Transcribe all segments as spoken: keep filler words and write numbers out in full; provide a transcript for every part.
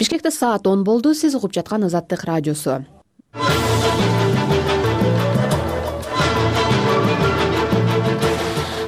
Бишкекте саат он болду. Сиз угуп жаткан Азаттык радиосу.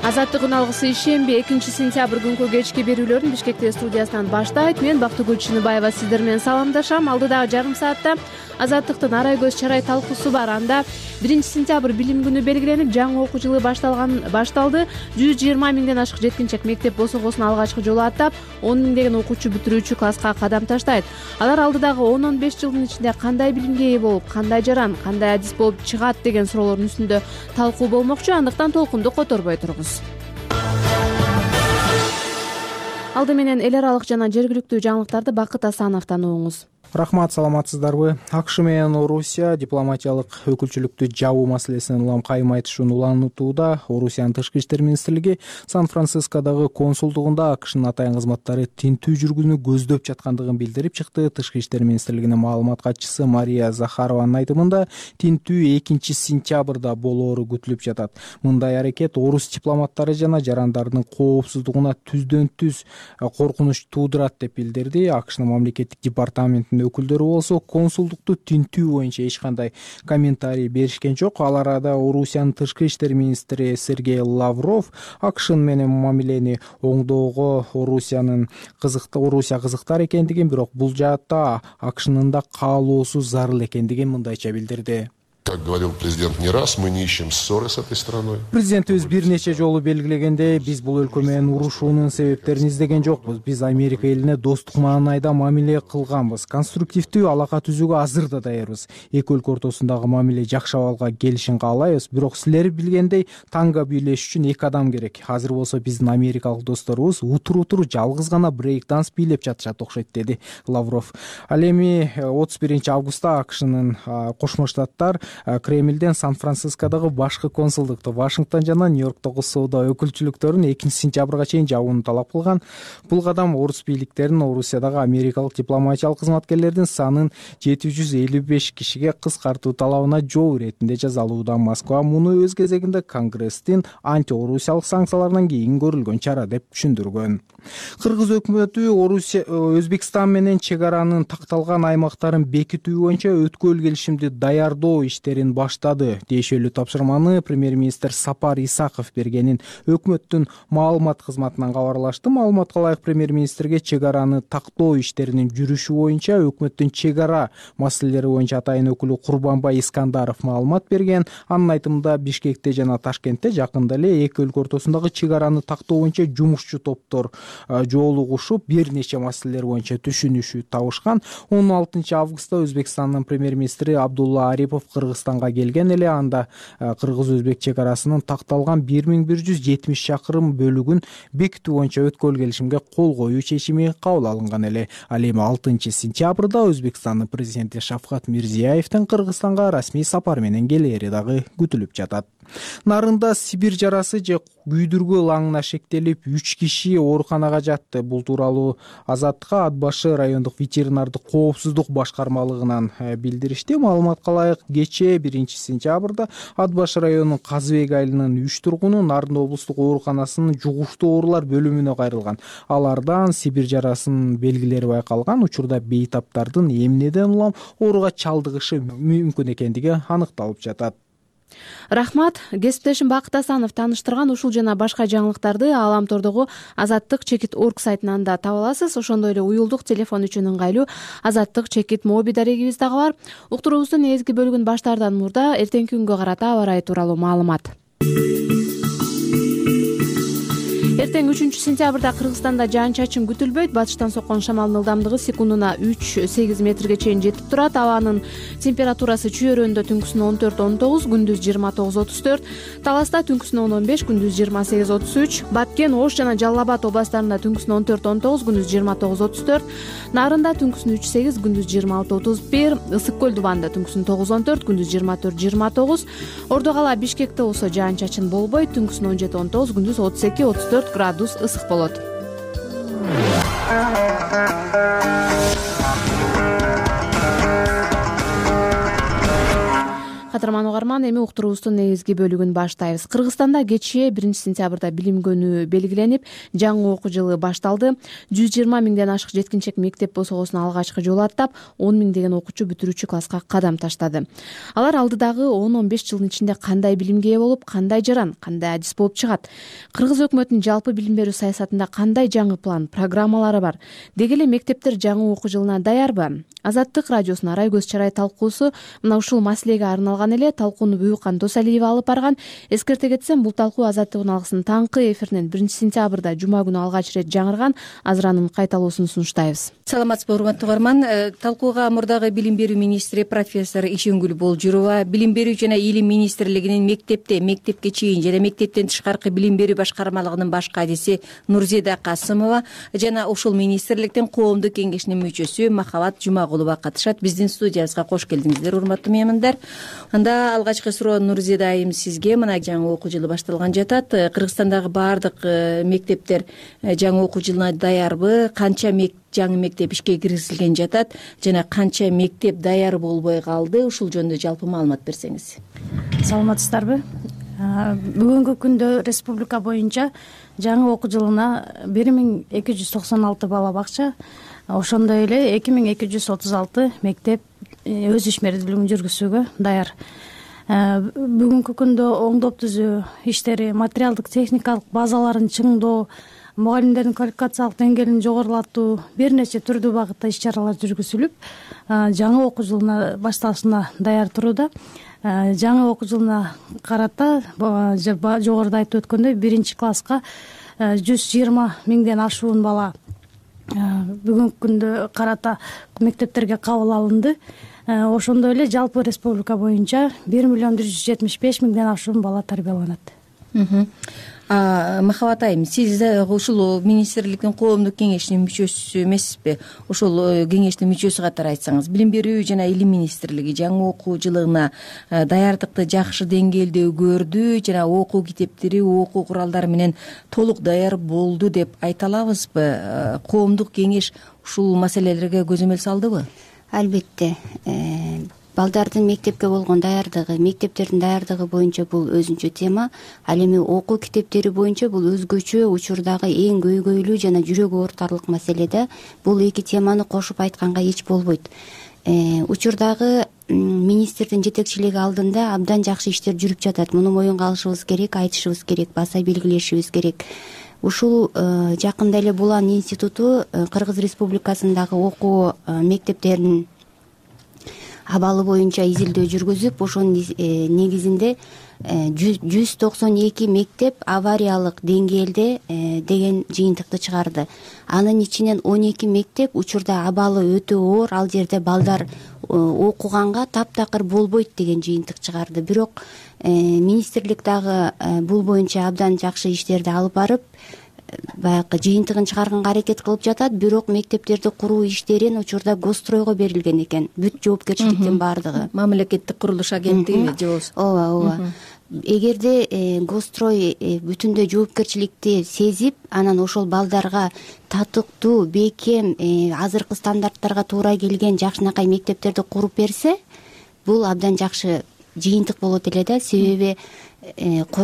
Азаттык алгысы ишемби экинчи сентябрь күнкү кечки берүүлөрүн Бишкекте студиясынан баштайт. Мен Бактыгүл Чыныбаева сиздер менен саламдашам. Алдыдагы жарым саатта Азаттыктын арай көз чарай талкуусу бар. Анда биринчи сентябрь билим күнү белгиленип, жаңы окуу жылы башталган башталды. жүз жыйырма миңден ашык жеткинчек мектеп босогосун алгачкы жолу аттап, он миңдеген окуучу бүтүрүүчү класска кадам таштайт. Алар алдыдагы он он беш жылдын ичинде кандай билимге ээ болуп, кандай жаран, кандай адис болуп чыгат деген суроолордун үстүндө талкуу болмокчу. Андыктан толкунду которбой туруңуз. Алды менен эл аралык жана жергиликтүү жаңылыктарды Бакыт Асановдон угуңуз. Рахмат, саламатсыздарбы? АКШ менен Орусия дипломатиялык өкүлчүлүктү жабуу маселесинен улам кайым айтышууну улантууда. Орусиянын тышкы иштер министрлиги Сан-Францискодогу консулдугунда АКШнын атайын кызматтары тинтүү жүргүүнү көздөп жаткандыгын билдирип чыкты. Тышкы иштер министрлигинин маалымат катчысы Мария Захарованын айтымында тинтүү экинчи сентябрда болоору күтүлүп жатат. Мындай аракет орус дипломаттары жана жарандардын коопсуздугуна түздөн түз коркунуч туудурат деп билдирди. АКШнын мамлекеттик департаментинин өкүлдөрү болсо консулдукту тинтүү боюнча эч кандай комментарий беришкен жок. Ал арада Орусиянын тышкы иштер министри Сергей Лавров АКШ менен мамилени оңдоого Орусиянын кызыкты Орусия кызыктар экендигин, бирок бул жаатта АКШнын да каалоосу зарыл экендигин мындайча билдирди. Как говорил президент не раз, мы не ищем ссоры с этой страной. Президентибиз бир нече жолу белгилегендей, биз бул өлкө менен урушуунун себептерин издеген жокпуз. Биз Америка элине достук маанайда мамиле кылганбыз. Конструктивдүү алака түзүүгө азыр да даярбыз. Эки өлкө ортосундагы мамиле жакшы абалга келишин каалайбыз. Бирок силер билгендей, танго бийлеш үчүн эки адам керек. Азыр болсо биздин америкалык досторубуз утур-утур жалгыз гана брейк-данс бийлеп жатышат окшойт, деди Лавров. Ал эми отуз биринчи августта АКШнын Кошмо Штаттар Кремлден Сан-Францискодогу башкы консулдукту, Вашингтон жана Нью-Йорктогу соода өкүлчүлүктөрүн экинчи сентябрга чейин жабууну талап кылган. Бул кадам орус бийликтеринин Орусиядагы америкалык дипломатиялык кызматкерлердин санын жети жүз элүү беш кишиге кыскартуу талабына жооп иретинде жазалууда. Москва муну өз кезегинде Конгресстин анти-орусиялык санкцияларынан кийин көрүлгөн чара деп түшүндүргөн. Кыргыз өкмөтү Орусия Өзбекстан менен чек аранын такталган аймактарын бекитүү боюнча өткөл келишимди даярдоо иштерин баштады. Тиешелүү тапшырманы премьер-министр Сапар Исаков бергенин өкмөттүн маалымат кызматынан кабарлашты. Маалыматка ылайык премьер-министрге чек араны тактоо иштеринин жүрүшү боюнча өкмөттүн чек ара маселелери боюнча атайын өкүлү Курбанбай Искандаров маалымат берген. Анын айтымында Бишкекте жана Ташкентте жакында эле эки өлкө ортосундагы чек араны тактоо боюнча жумушчу топтор жолугушуп бир нече маселелер боюнча түшүнүшүү табышкан. он алтынчы августта Өзбекстандын премьер-министри Абдулла Арипов Кыргызстанга келген эле. Анда кыргыз-өзбек чек арасынын такталган бир миң бир жүз жетимиш чакырым бөлүгүн бекитүү боюнча өткөл келишимге кол коюу чечими кабыл алынган эле. Ал эми алтынчы сентябрда Өзбекстандын президенти Шавкат Мирзиёевдин Кыргызстанга расмий сапар менен келери дагы күтүлүп жатат. Нарында Сибирь жарасы же күйдүргү лаңына шектелип үч киши ооруканага жатты. Бул тууралуу Азаттыкка Ат башы райондук ветеринардык коопсуздук башкармалыгынан билдиришти. Маалыматка ылайык кечээ биринчи сентябрда Ат башы районунун Казыбек айылынын үч тургуну Нарын облустук ооруканасынын жугуштуу оорулар бөлүмүнө кайрылган. Алардан Сибирь жарасынын белгилери байкалган. Учурда бейтаптардын эмнеден улам ооруга чалдыгышы мүмкүн экендиги аныкталып жатат. Рахмат. Кесиптешим Бакыт Асанов тааныштырган ушул жана башка жаңылыктарды Аламтордогу Азаттык чекит орг сайтынан да таба аласыз. Ошондой эле уюлдук телефон үчүн ыңгайлуу Азаттык чекит моби дарегибиз дагы бар. Уктуруубуздун эзги бөлүгүн баштаардан мурда эртеңки күнгө карата аба ырайы тууралуу маалымат. Эртең үчүнчү сентябрда Кыргызстанда жаан-чачын күтүлбөйт. Батыштан соккон шамалдын ылдамдыгы секундуна үч сегиз метрге чейин жетип турат. Абанын температурасы чүйөрөндө түнкүсүнө он төрт он тогуз, күндүз жыйырма тогуз отуз төрт, Таласта түнкүсүнө он он беш, күндүз жыйырма сегиз отуз үч, Баткен, Ош жана Жалал Абад областарында түнкүсүнө он төрт он тогуз, күндүз жыйырма тогуз отуз төрт, Нарында түнкүсүнө үч сегиз, күндүз жыйырма алты отуз бир, Ысык көл дубанда түнкүсүнө тогуз он төрт, күндүз жыйырма төрт жыйырма тогуз, Ордо кала Бишкекте болсо жаан-чачын болбойт, түнкүсүнө он жети он тогуз, күндүз отуз эки отуз төрт градус ысык болот. кадырман угарман, эми уктуруубуздун негизги бөлүгүн баштайбыз. Кыргызстанда кечээ биринчи сентябрда билим күнү белгиленип, жаңы окуу жылы башталды. жүз жыйырма миңден ашык жеткинчек мектеп босогосун алгачкы жолу аттап, он миң деген окуучу бүтүрүүчү класска кадам таштады. Алар алдыдагы он он беш жылдын ичинде кандай билимге ээ болуп, кандай жаран, кандай адис болуп чыгат? Кыргыз өкмөтүнүн жалпы билим берүү саясатында кандай жаңы план, программалары бар? Деги эле мектептер жаңы окуу жылына даярбы? Азаттык радиосунун арай көз чарай талкуусу мына ушул маселеге арналган эле. Талкууну Буюкан Досалиева алып барган. Эскерте кетсем, бул талкуу Азаттыктын алгысынын таңкы эфиринен биринчи сентябрда жума күнү алгач ирет жаңырган. Азыр анын кайталоосун сунуштайбыз. Саламатсызбы, урматтуу угарман. Талкууга мурдагы билим берүү министри профессор Ишенгүл Болжурова, билим берүү жана илим министрлигинин мектепте, мектепке чейин жана мектептен тышкаркы билим берүү башкармалыгынын баш кадиси Нурзида Касымова жана ушул министрликтин коомдук кеңешинин мүчөсү Махабат Жумагулова катышат. Биздин студиябызга кош келдиңиздер, урматтуу меймандар. Анда алгачкы суроо Нурзида айым сизге. Мына жаңы окуу жылы башталган жатат. Кыргызстандагы баардык мектептер жаңы окуу жылына даярбы? Канча жаңы мектеп ишке киргизилген жатат жана канча мектеп даяр болбой калды? Ушул жөнүндө жалпы маалымат берсеңиз. Саламатсыздарбы? Бүгүнкү күндө республика боюнча жаңы окуу жылына бир миң эки жүз токсон алты бала бакча, ошондой эле эки миң эки жүз отуз алты мектеп өз ишмердүүлүгүн жүргүзүүгө даяр. Бүгүнкү күндө оңдоп түзүү иштери, материалдык техникалык базаларын чыңдоо, мугалимдердин квалификациялык деңгээлин жогорулатуу, бир нече түрдүү багытта иш чаралар жүргүзүлүп, жаңы окуу жылына башталышына даяр турууда. Жаңы окуу жылына карата жогоруда айтып өткөндөй биринчи класска жүз жыйырма миңден ашуун бала бүгүнкү күндө карата мектептерге кабыл алынды. Ошондой эле жалпы республика боюнча бир миллион бир жүз жетимиш беш миңден ашуун бала тарбияланат. Махабат айым, сиз ушул министрликтин коомдук кеңешинин мүчөсү эмессизби? Ушул кеңештин мүчөсү катары айтсаңыз, билим берүү жана илим министрлиги жаңы окуу жылына даярдыкты жакшы деңгээлде көрдү жана окуу китептери, окуу куралдары менен толук даяр болду деп айта алабызбы? Коомдук кеңеш ушул маселелерге көзөмөл салдыбы? Албетте. Балдардын мектепке болгон даярдыгы, мектептердин даярдыгы боюнча бул өзүнчө тема. Ал эми окуу китептери боюнча бул өзгөчө учурдагы эң көйгөйлүү жана жүрөк оорутарлык маселе да. Бул эки теманы кошуп айтканга эч болбойт. Учурдагы министрдин жетекчилиги алдында абдан жакшы иштер жүрүп жатат. Муну моюнга алышыбыз керек, айтышыбыз керек, баса белгилешибиз керек. Ушул жакында эле Булан институту Кыргыз Республикасындагы окуу мектептеринин абалы боюнча изилдөө жүргүзүп, ошонун негизинде жүз токсон эки мектеп авариялык деңгээлде деген жыйынтыкты чыгарды. Анын ичинен он эки мектеп учурда абалы өтө оор, ал жерде балдар окуганга таптакыр болбойт деген жыйынтык чыгарды. Бирок министрлик дагы бул боюнча абдан жакшы иштерди алып барып, баягы жыйынтыгын чыгарганга аракет кылып жатат. Бирок мектептерди куруу иштерин учурда Гостройго берилген экен. Бүт жоопкерчиликтин баардыгы. Мамлекеттик курулуш агенттиги же болбосо. Ооба, ооба. Эгерде Гострой бүтүндөй жоопкерчиликти сезип, анан ошол балдарга татыктуу, бекем, азыркы стандарттарга туура келген жакшынакай мектептерди куруп берсе, бул абдан жакшы жыйынтык болот эле да. Себеби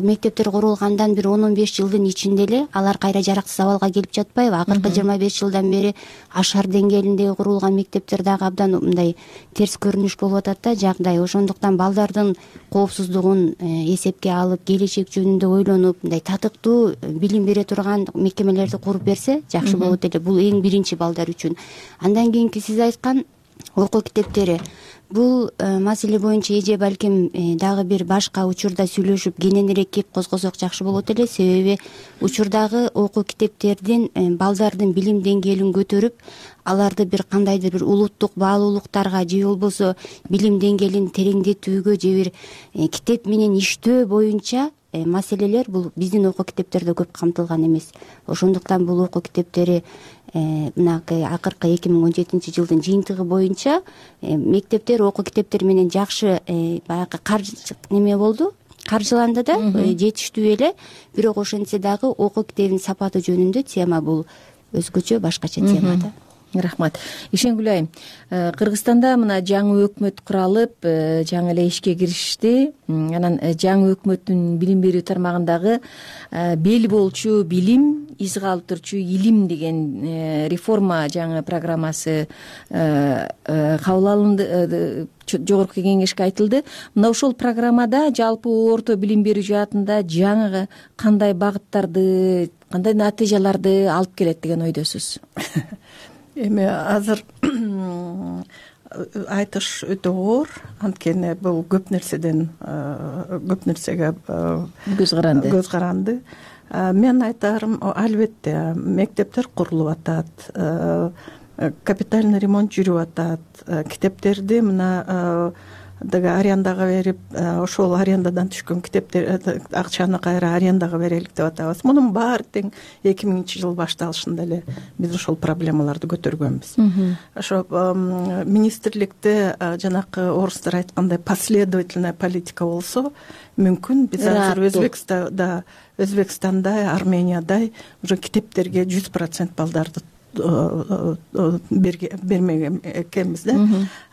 мектептер курулгандан бир он он беш жылдын ичинде эле алар кайра жараксыз абалга келип жатпайбы? Акыркы жыйырма беш жылдан бери ашар деңгээлинде курулган мектептер дагы абдан мындай терс көрүнүш болуп атат да жагдай. Ошондуктан балдардын коопсуздугун эсепке алып, келечек жөнүндө ойлонуп, мындай татыктуу билим бере турган мекемелерди куруп берсе жакшы болот эле. Бул эң биринчи балдар үчүн. Андан кийинки сиз айткан окуу китептери. Бул маселе боюнча эже балким дагы бир башка учурда сүйлөшүп кененирээк кеп козгосок жакшы болот эле. Себеби учурдагы окуу китептердин балдардын билим деңгээлин көтөрүп, аларды бир кандайдыр бир улуттук баалуулуктарга же болбосо билим деңгээлин тереңдетүүгө же бир китеп менен иштөө боюнча маселелер бул биздин окуу китептерде көп камтылган эмес. Ошондуктан бул окуу китептери мынакы акыркы эки миң он жетинчи жылдын жыйынтыгы боюнча мектептер окуу китептери менен жакшы баягы каржы неме болду, каржыланды да, жетиштүү эле. Бирок ошентсе дагы окуу китебинин сапаты жөнүндө тема бул өзгөчө, башкача тема да. Рахмат. Ишенгүл айым, Кыргызстанда мына жаңы өкмөт куралып, жаңы эле ишке киришти. Анан жаңы өкмөттүн билим берүү тармагындагы бел болчу билим, из калтырчу илим деген реформа жаңы программасы кабыл алынды, жогорку кеңешке айтылды. Мына ошол программада жалпы орто билим берүү жаатында жаңы кандай багыттарды, кандай натыйжаларды алып келет деген ойдосуз? Эми азыр айтыш өтө оор, анткени бул көп нерседен көп нерсеге көз каранды. көз каранды. Мен айтарым, албетте мектептер курулуп атат, капитальный ремонт жүрүп атат, китептерди мына деги арендага берип, ошол арендадан түшкөн китептер акчаны кайра арендага берелик деп атабыз. Мунун баары тең эки миңинчи жыл башталышында эле биз ошол проблемаларды көтөргөнбүз. Ошо министрликте жанакы орустар айткандай последовательная политика болсо, мүмкүн биз азыр Өзбекстанда, Өзбекстандай, Армениядай уже китептерге жүз процент балдарды бермеген экенбиз да.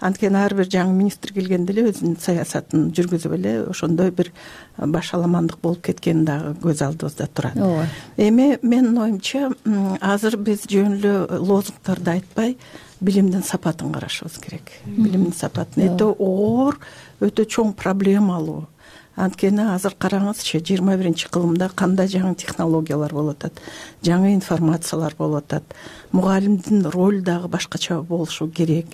Анткени ар бир жаңы министр келгенде эле өзүнүн саясатын жүргүзүп эле ошондой бир башаламандык болуп кеткени дагы көз алдыбызда турат. Эми менин оюмча, азыр биз жөн эле лозунгтарды айтпай, билимдин сапатын карашыбыз керек. Билимдин сапатын өтө оор, өтө чоң проблемалуу. Анткени азыр караңызчы, жыйырма биринчи кылымда кандай жаңы технологиялар болуп атат, жаңы информациялар болуп атат. Мугалимдин ролу дагы башкача болушу керек.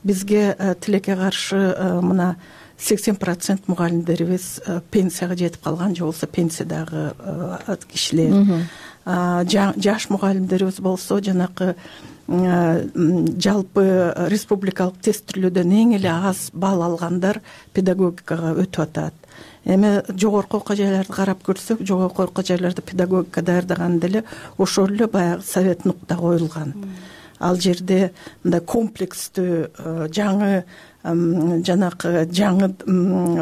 Бизге тилекке каршы мына сексен процент мугалимдерибиз пенсияга жетип калган, же болбосо пенсиядагы кишилер. Жаш мугалимдерибиз болсо жанакы жалпы республикалык тестирлөөдөн эң эле аз балл алгандар педагогикага өтүп атат. Эми жогорку окуу жайларды карап көрсөк, жогорку окуу жайларда педагогика даярдаганда эле ошол эле баягы совет нукта коюлган. Ал жерде мындай комплекстүү жаңы жанакы жаңы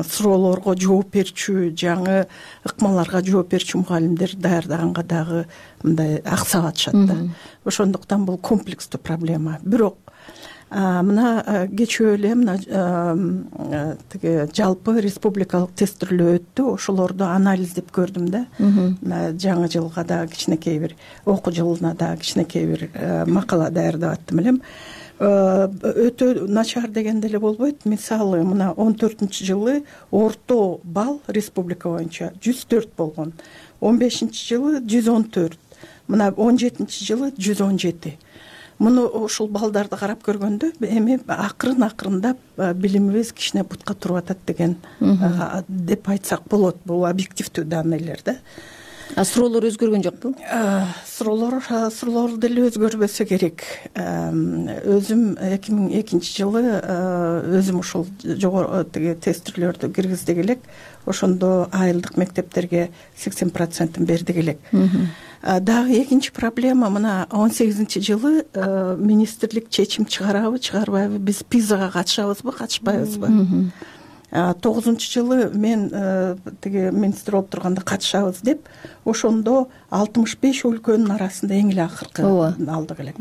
суроолорго жооп берчү, жаңы ыкмаларга жооп берчү мугалимдер даярдаганга дагы мындай аксап атышат да. Ошондуктан бул комплекстүү проблема. Бирок мына кечээ эле мына тиги жалпы республикалык тестирлөө өттү, ошолорду анализдеп көрдүм да. Мына жаңы жылга дагы кичинекей бир, окуу жылына дагы кичинекей бир макала даярдап аттым элем. Өтө начар дегенде эле болбойт. Мисалы, мына он төртүнчү жылы орто балл республика боюнча жүз төрт болгон. он бешинчи жылы жүз он төрт. Мына он жетинчи жылы жүз он жети. Муну ушул балдарды карап көргөндө эми акырын акырындап билимибиз кичине бутка туруп атат деген деп айтсак болот. Бул объективдүү данныйлар да. А суроолор өзгөргөн жокпу? Суроолор суроолор деле өзгөрбөсө керек. Өзүм эки миң экинчи жылы өзүм ушул жогору тиги тестирлөрдү киргиздик элек. Ошондо айылдык мектептерге сексен процентин бердик элек. Дагы экинчи проблема, мына он сегизинчи жылы министрлик чечим чыгарабы, чыгарбайбы, биз пизага катышабызбы, катышпайбызбы? тогузунчу жылы мен тиги министр болуп турганда катышабыз деп, ошондо алтымыш беш өлкөнүн арасында эң эле акыркы алдык элек.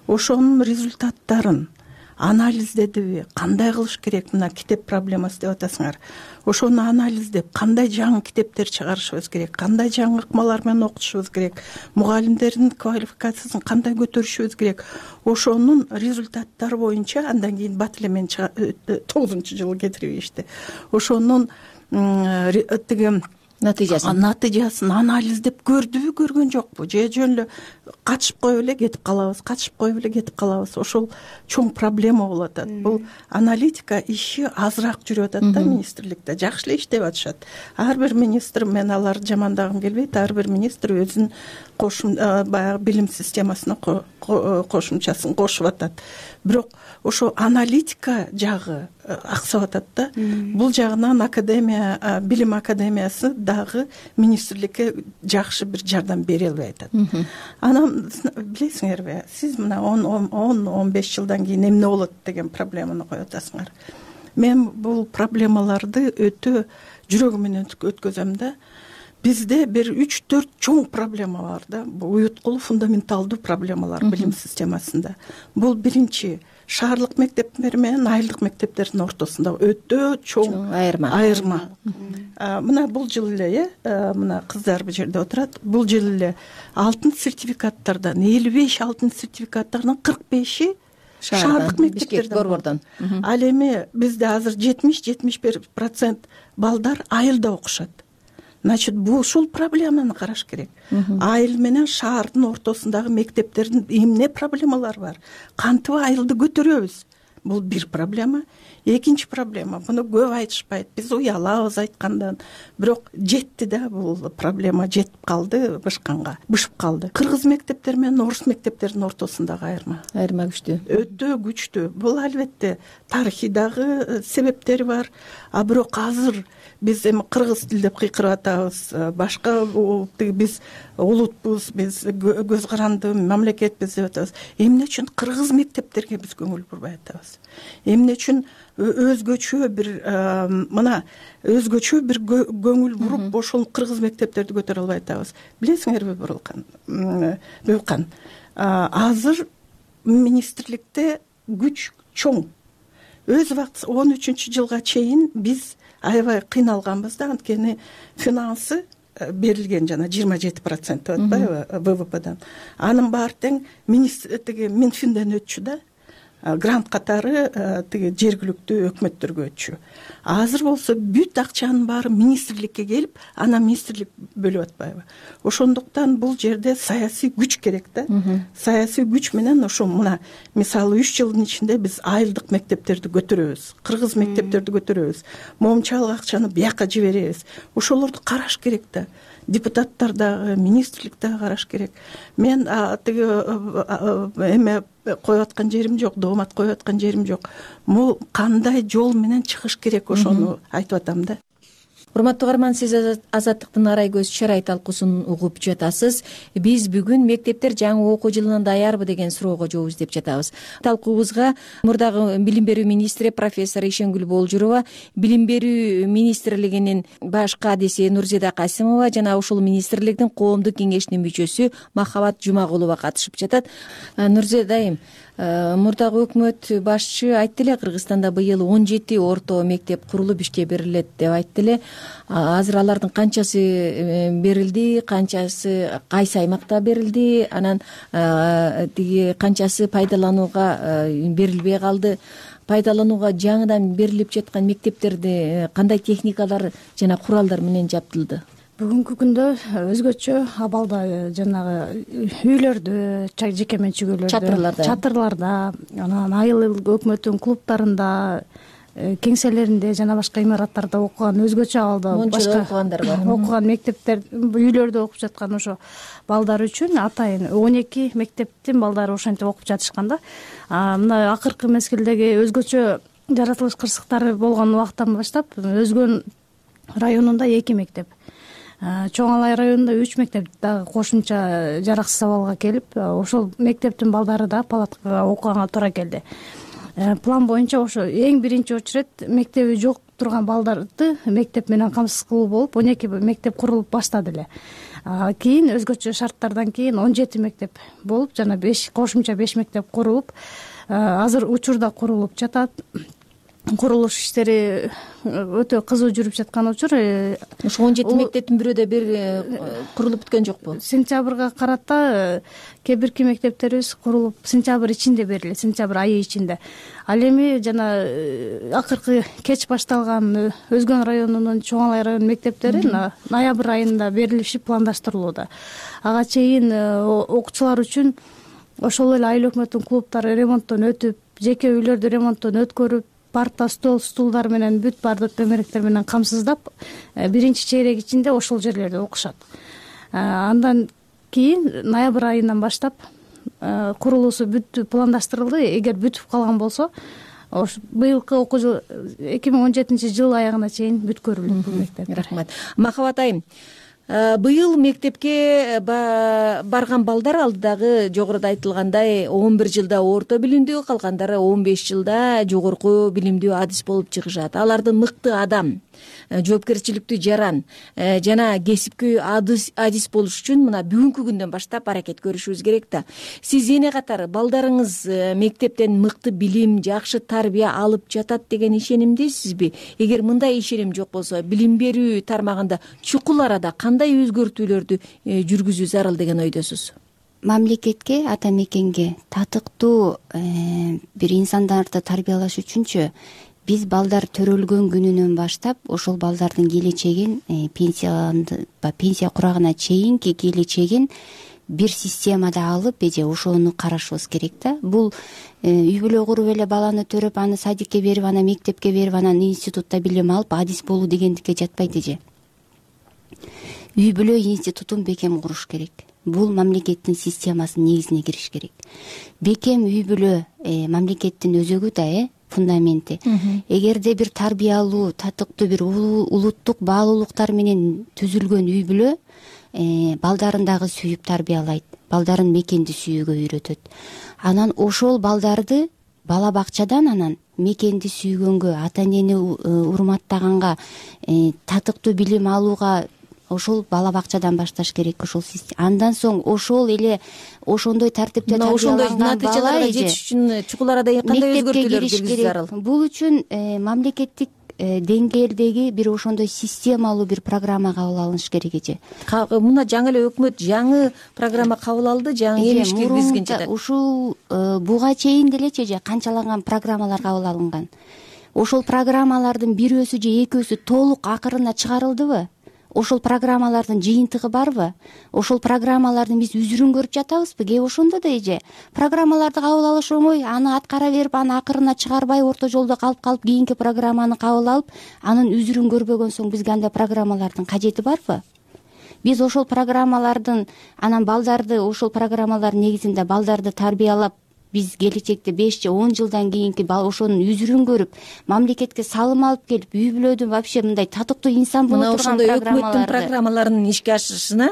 Ошонун результаттарын анализдедиби, кандай кылыш керек, мына китеп проблемасы деп атасыңар. Ошону анализдеп, кандай жаңы китептер чыгарышыбыз керек, кандай жаңы ыкмалар менен окутушубуз керек, мугалимдердин квалификациясын кандай көтөрүшүбүз керек. Ошонун результаттары боюнча андан кийин бат эле мен тогузунчу жылы кетиришти. Ошонун тиги натыйжасын натыйжасын анализдеп көрдүбү, көргөн жокпу, же жөн эле катышып коюп эле кетип калабыз, катышып коюп эле кетип калабыз. Ошол чоң проблема болуп атат. Бул аналитика иши азыраак жүрүп атат да министрликте. Жакшы эле иштеп атышат. Ар бир министр, мен аларды жамандагым келбейт, ар бир министр өзүнүн кошум баягы билим системасына кошумчасын кошуп атат. Бирок ошо аналитика жагы аксап атат да. Бул жагынан академия, билим академиясы дагы министрликке жакшы бир жардам бере албай атат. Анан билесиңерби, сиз мына он он беш жылдан кийин эмне болот деген проблеманы коюп атасыңар. Мен бул проблемаларды өтө жүрөгүм менен өткөзөм да. бизде бир үч төрт чоң проблема бар да, бул уюткулуу фундаменталдуу проблемалар билим системасында. Бул биринчи шаардык мектептер менен айылдык мектептердин ортосунда өтө чоң айырма. айырма. Мына бул жыл эле, э, мына кыздар бул жерде отурат. Бул жыл эле алтын сертификаттардан элүү беш алтын сертификаттардан кырк беши шаардык мектептерден борбордон. Ал эми бизде азыр жетимиш жетимиш бир процент балдар айылда окушат. Значит, бул ушул проблеманы караш керек. Айыл менен шаардын ортосундагы мектептердин эмне проблемалары бар? Кантип айылды көтөрөбүз? Бул бир проблема. Экинчи проблема, буну көп айтышпайт. Биз уялабыз айткандан, бирок жетти да, бул проблема жетип калды бышканга, бышып калды. Кыргыз мектептери менен орус мектептердин ортосундагы айырма. Айырма күчтүү. Өтө күчтүү. Бул албетте тарыхый дагы себептери бар. А бирок азыр биз эми кыргыз тил деп кыйкырып атабыз. Башка биз улутпуз, биз көз каранды мамлекетпиз деп атабыз. Эмне үчүн кыргыз мектептерге биз көңүл бурбай атабыз? Эмне үчүн өзгөчө бир мына өзгөчө бир көңүл буруп ошол кыргыз мектептерди көтөрө албай атабыз? Билесиңерби, Бурулкан, Бөкан, азыр министрликте күч чоң. Өз убакытта он үчүнчү жылга чейин биз аябай кыйналганбыз да, анткени финансы берилген жана жыйырма жети процент деп атпайбы вэ вэ пэдан. Анын баары тең министрликтеги Минфинден өтчү да, грант катары тиги жергиликтүү өкмөттөргө өтчү. Азыр болсо бүт акчанын баары министрликке келип, анан министрлик бөлүп атпайбы? Ошондуктан бул жерде саясий күч керек да. Саясий күч менен ошо мына мисалы үч жылдын ичинде биз айылдык мектептерди көтөрөбүз, кыргыз мектептерди көтөрөбүз, момчалык акчаны бияка жиберебиз. Ошолорду караш керек да. Депутаттар дагы, министрлик дагы караш керек. Мен тиги эме коюп аткан жерим жок, доомат коюп аткан жерим жок. Бул кандай жол менен чыгыш керек, ошону айтып атам да. Урматтуу угарман, сиз Азаттыктын арай көз чарай талкуусун угуп жатасыз. Биз бүгүн мектептер жаңы окуу жылына даярбы деген суроого жооп издеп жатабыз. Талкуубузга мурдагы билим берүү министри профессор Ишенгүл Болжурова, билим берүү министрлигинин баш кадиси Нурзида Касимова жана ушул министрликтин коомдук кеңешинин мүчөсү Махабат Жумагулова катышып жатат. Нурзида айым, мурдагы өкмөт башчы айтты эле, Кыргызстанда быйыл он жети орто мектеп курулуп ишке берилет деп айтты эле. Азыр алардын канчасы берилди, канчасы кайсы аймакта берилди, анан тиги канчасы пайдаланууга берилбей калды? Пайдаланууга жаңыдан берилип жаткан мектептерди кандай техникалар жана куралдар менен жабдылды? Бүгүнкү күндө өзгөчө абалда жанагы үйлөрдө, жеке менчик үйлөрдө, чатырларда, чатырларда, анан айыл өкмөттүн клубтарында, кеңселеринде жана башка имараттарда окуган, өзгөчө абалда башка окугандар бар. Окуган мектептер, үйлөрдө окуп жаткан ошо балдар үчүн атайын он эки мектептин балдары ошентип окуп жатышкан да. Мына акыркы мезгилдеги өзгөчө жаратылыш кырсыктары болгон убакыттан баштап Өзгөн районунда эки мектеп, Чоң Алай районунда үч мектеп дагы кошумча жараксыз абалга келип, ошол мектептин балдары да палаткага окуганга туура келди. План боюнча ошо эң биринчи очередь мектеби жок турган балдарды мектеп менен камсыз кылуу болуп, он эки мектеп курулуп баштады эле. Кийин өзгөчө шарттардан кийин он жети мектеп болуп, жана беш кошумча беш мектеп курулуп, азыр учурда курулуп жатат. Курулуш иштери өтө кызуу жүрүп жаткан учур. Ошо он жети мектептин бирөө да бир курулуп бүткөн жокпу? Сентябрга карата кээ бирки мектептерибиз курулуп сентябрь ичинде берилет, сентябрь айы ичинде. Ал эми жана акыркы кеч башталган Өзгөн районунун Чоң Алай районунун мектептери ноябрь айында берилиши пландаштырылууда. Ага чейин окуучулар үчүн ошол эле айыл өкмөттүн клубтары ремонттон өтүп, жеке үйлөрдү ремонттон өткөрүп, парта, стол, стулдар менен бүт баардык төмөрөктөр менен камсыздап, биринчи чейрек ичинде ошол жерлерде окушат. Андан кийин ноябрь айынан баштап курулуусу бүт пландаштырылды. Эгер бүтүп калган болсо, быйылкы окуу жыл эки миң он жетинчи жыл аягына чейин бүткөрүлөт бул мектеп. Рахмат. Махабат айым, быйыл мектепке барган балдар алдыдагы жогоруда айтылгандай он бир жылда орто билимдүү, калгандары он беш жылда жогорку билимдүү адис болуп чыгышат. Алардын мыкты адам жоопкерчиликтүү жаран жана кесипкөй адис болуш үчүн мына бүгүнкү күндөн баштап аракет көрүшүбүз керек да. Сиз эне катары балдарыңыз мектептен мыкты билим, жакшы тарбия алып жатат деген ишенимдесизби? Эгер мындай ишеним жок болсо, билим берүү тармагында чукул арада кандай өзгөртүүлөрдү жүргүзүү зарыл деген ойдосуз? Мамлекетке, ата мекенге татыктуу бир инсандарды тарбиялаш үчүнчү биз балдар төрөлгөн күнүнөн баштап ошол балдардын келечегин пенсияны пенсия курагына чейинки келечегин бир системада алып эже ошону карашыбыз керек да. Бул үй бүлө куруп эле баланы төрөп, аны садикке берип, аны мектепке берип, анан институтта билим алып адис болуу дегендикке жатпайт эже. Үй бүлө институтун бекем куруш керек. Бул мамлекеттин системасынын негизине кириш керек. Бекем үй бүлө мамлекеттин өзөгү да, э фундаменти. Эгерде бир тарбиялуу, татыктуу бир улуттук баалуулуктар менен түзүлгөн үй бүлө балдарын дагы сүйүп тарбиялайт, балдарын мекенди сүйүүгө үйрөтөт. Анан ошол балдарды бала бакчадан анан мекенди сүйгөнгө, ата энени урматтаганга, татыктуу билим алууга ошол бала бакчадан башташ керек. Ошол андан соң ошол эле ошондой тартипте тарбияланган бала жетиш үчүн чукул арада кандай өзгөртүүлөр киргизүү зарыл? Бул үчүн мамлекеттик деңгээлдеги бир ошондой системалуу бир программа кабыл алыныш керек эже. Мына жаңы эле өкмөт жаңы программа кабыл алды, жаңы иш киргизген жатат. Ушул буга чейин делечи эже канчалаган программалар кабыл алынган. Ошол программалардын бирөөсү же экөөсү толук акырына чыгарылдыбы? Ошол программалардын жыйынтыгы барбы? Ошол программалардын биз үзүрүн көрүп жатабызбы? Кээ ошондо да эже программаларды кабыл алыш оңой, аны аткара берип, аны акырына чыгарбай, орто жолдо калып калып кийинки программаны кабыл алып, анын үзүрүн көрбөгөн соң бизге андай программалардын кажети барбы? Биз ошол программалардын анан балдарды ошол программалардын негизинде балдарды тарбиялап, биз келечекте беш же он жылдан кийинки ошонун үзүрүн көрүп, мамлекетке салым алып келип, үй бүлөдүн вообще мындай татыктуу инсан боло турган программаларды, мына ошондой өкмөттүн программаларынын ишке ашышына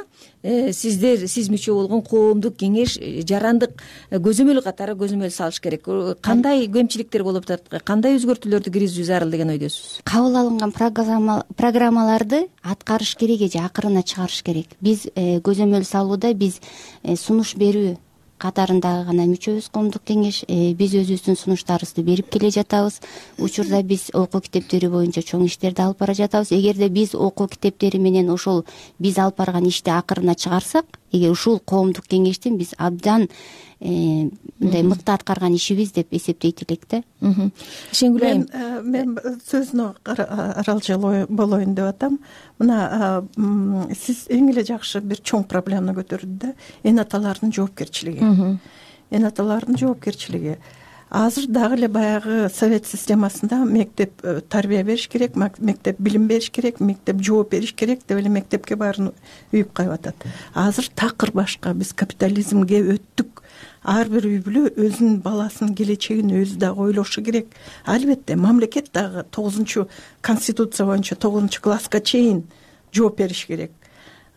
сиздер, сиз мүчө болгон коомдук кеңеш жарандык көзөмөл катары көзөмөл салыш керек. Кандай кемчиликтер болуп атат, кандай өзгөртүүлөрдү киргизүү зарыл деген ойдосуз? Кабыл алынган программаларды аткарыш керек эже, акырына чыгарыш керек. Биз көзөмөл салууда биз сунуш берүү катарындагы гана мүчөбүз коомдук кеңеш. Биз өзүбүздүн сунуштарыбызды берип келе жатабыз. Учурда биз окуу китептери боюнча чоң иштерди алып бара жатабыз. Эгерде биз окуу китептери менен ошол биз алып барган ишти акырына чыгарсак, эгер ушул коомдук кеңештин биз абдан мындай мыкты аткарган ишибиз деп эсептейт элек да. Шенгүл айым, мен сөзүнө аралжал болоюн деп атам. Мына сиз эң эле жакшы бир чоң проблеманы көтөрдү да, эне аталардын жоопкерчилиги. Эне аталардын жоопкерчилиги. Азыр дагы эле баягы совет системасында мектеп тарбия бериш керек, мектеп билим бериш керек, мектеп жооп бериш керек деп эле мектепке баарын үйүп коюп атат. Азыр такыр башка, биз капитализмге өттүк. Ар бир үй бүлө өзүнүн баласынын келечегин өзү дагы ойлошу керек. Албетте мамлекет дагы тогузунчу конституция боюнча тогузунчу класска чейин жооп бериш керек.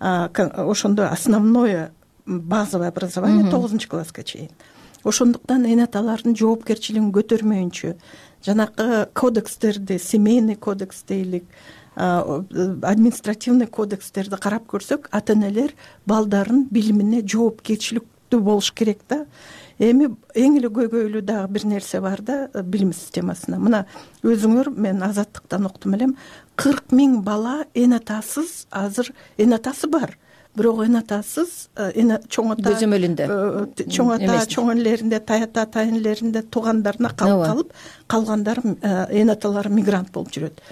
Ошондо основное базовое образование тогузунчу класска чейин. Ошондуктан эне аталардын жоопкерчилигин көтөрмөйүнчө жанакы кодекстерди, семейный кодекс дейлик, административный кодекстерди карап көрсөк, ата энелер балдарын билимине жоопкерчиликтүү болуш керек да. Эми эң эле көйгөйлүү дагы бир нерсе бар да билим системасына. Мына өзүңөр, мен Азаттыктан уктум элем, кырк миң бала эне атасыз, азыр эне атасы бар. Бирок эне атасыз, эне чоң ата көзөмөлүндө, чоң ата, чоң энелеринде, тайата тайынелеринде, туугандарына калып калып, калгандар эне аталары мигрант болуп жүрөт.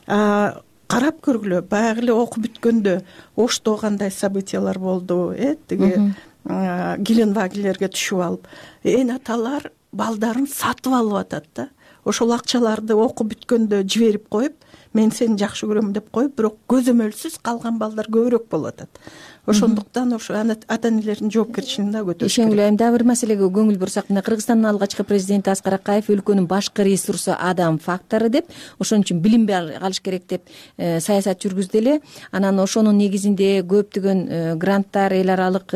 Карап көргүлө, баягы эле окуп бүткөндө Ошто кандай событиялар болду, э, тиги Геленвагелерге түшүп алып, эне аталар балдарын сатып алып атат да. Ошол акчаларды окуп бүткөндө жиберип коюп, мен сени жакшы көрөм деп коюп, бирок көзөмөлсүз калган балдар көбүрөөк болуп атат. ошондуктан ошо ата энелердин жоопкерчилигин дагы көтөрүш керек. ишенгиле айым дагы бир маселеге көңүл бурсак, мына Кыргызстандын алгачкы президенти Аскар Акаев өлкөнүн башкы ресурсу адам фактору деп, ошон үчүн билим алыш керек деп саясат жүргүздү эле. Анан ошонун негизинде көптөгөн гранттар, эл аралык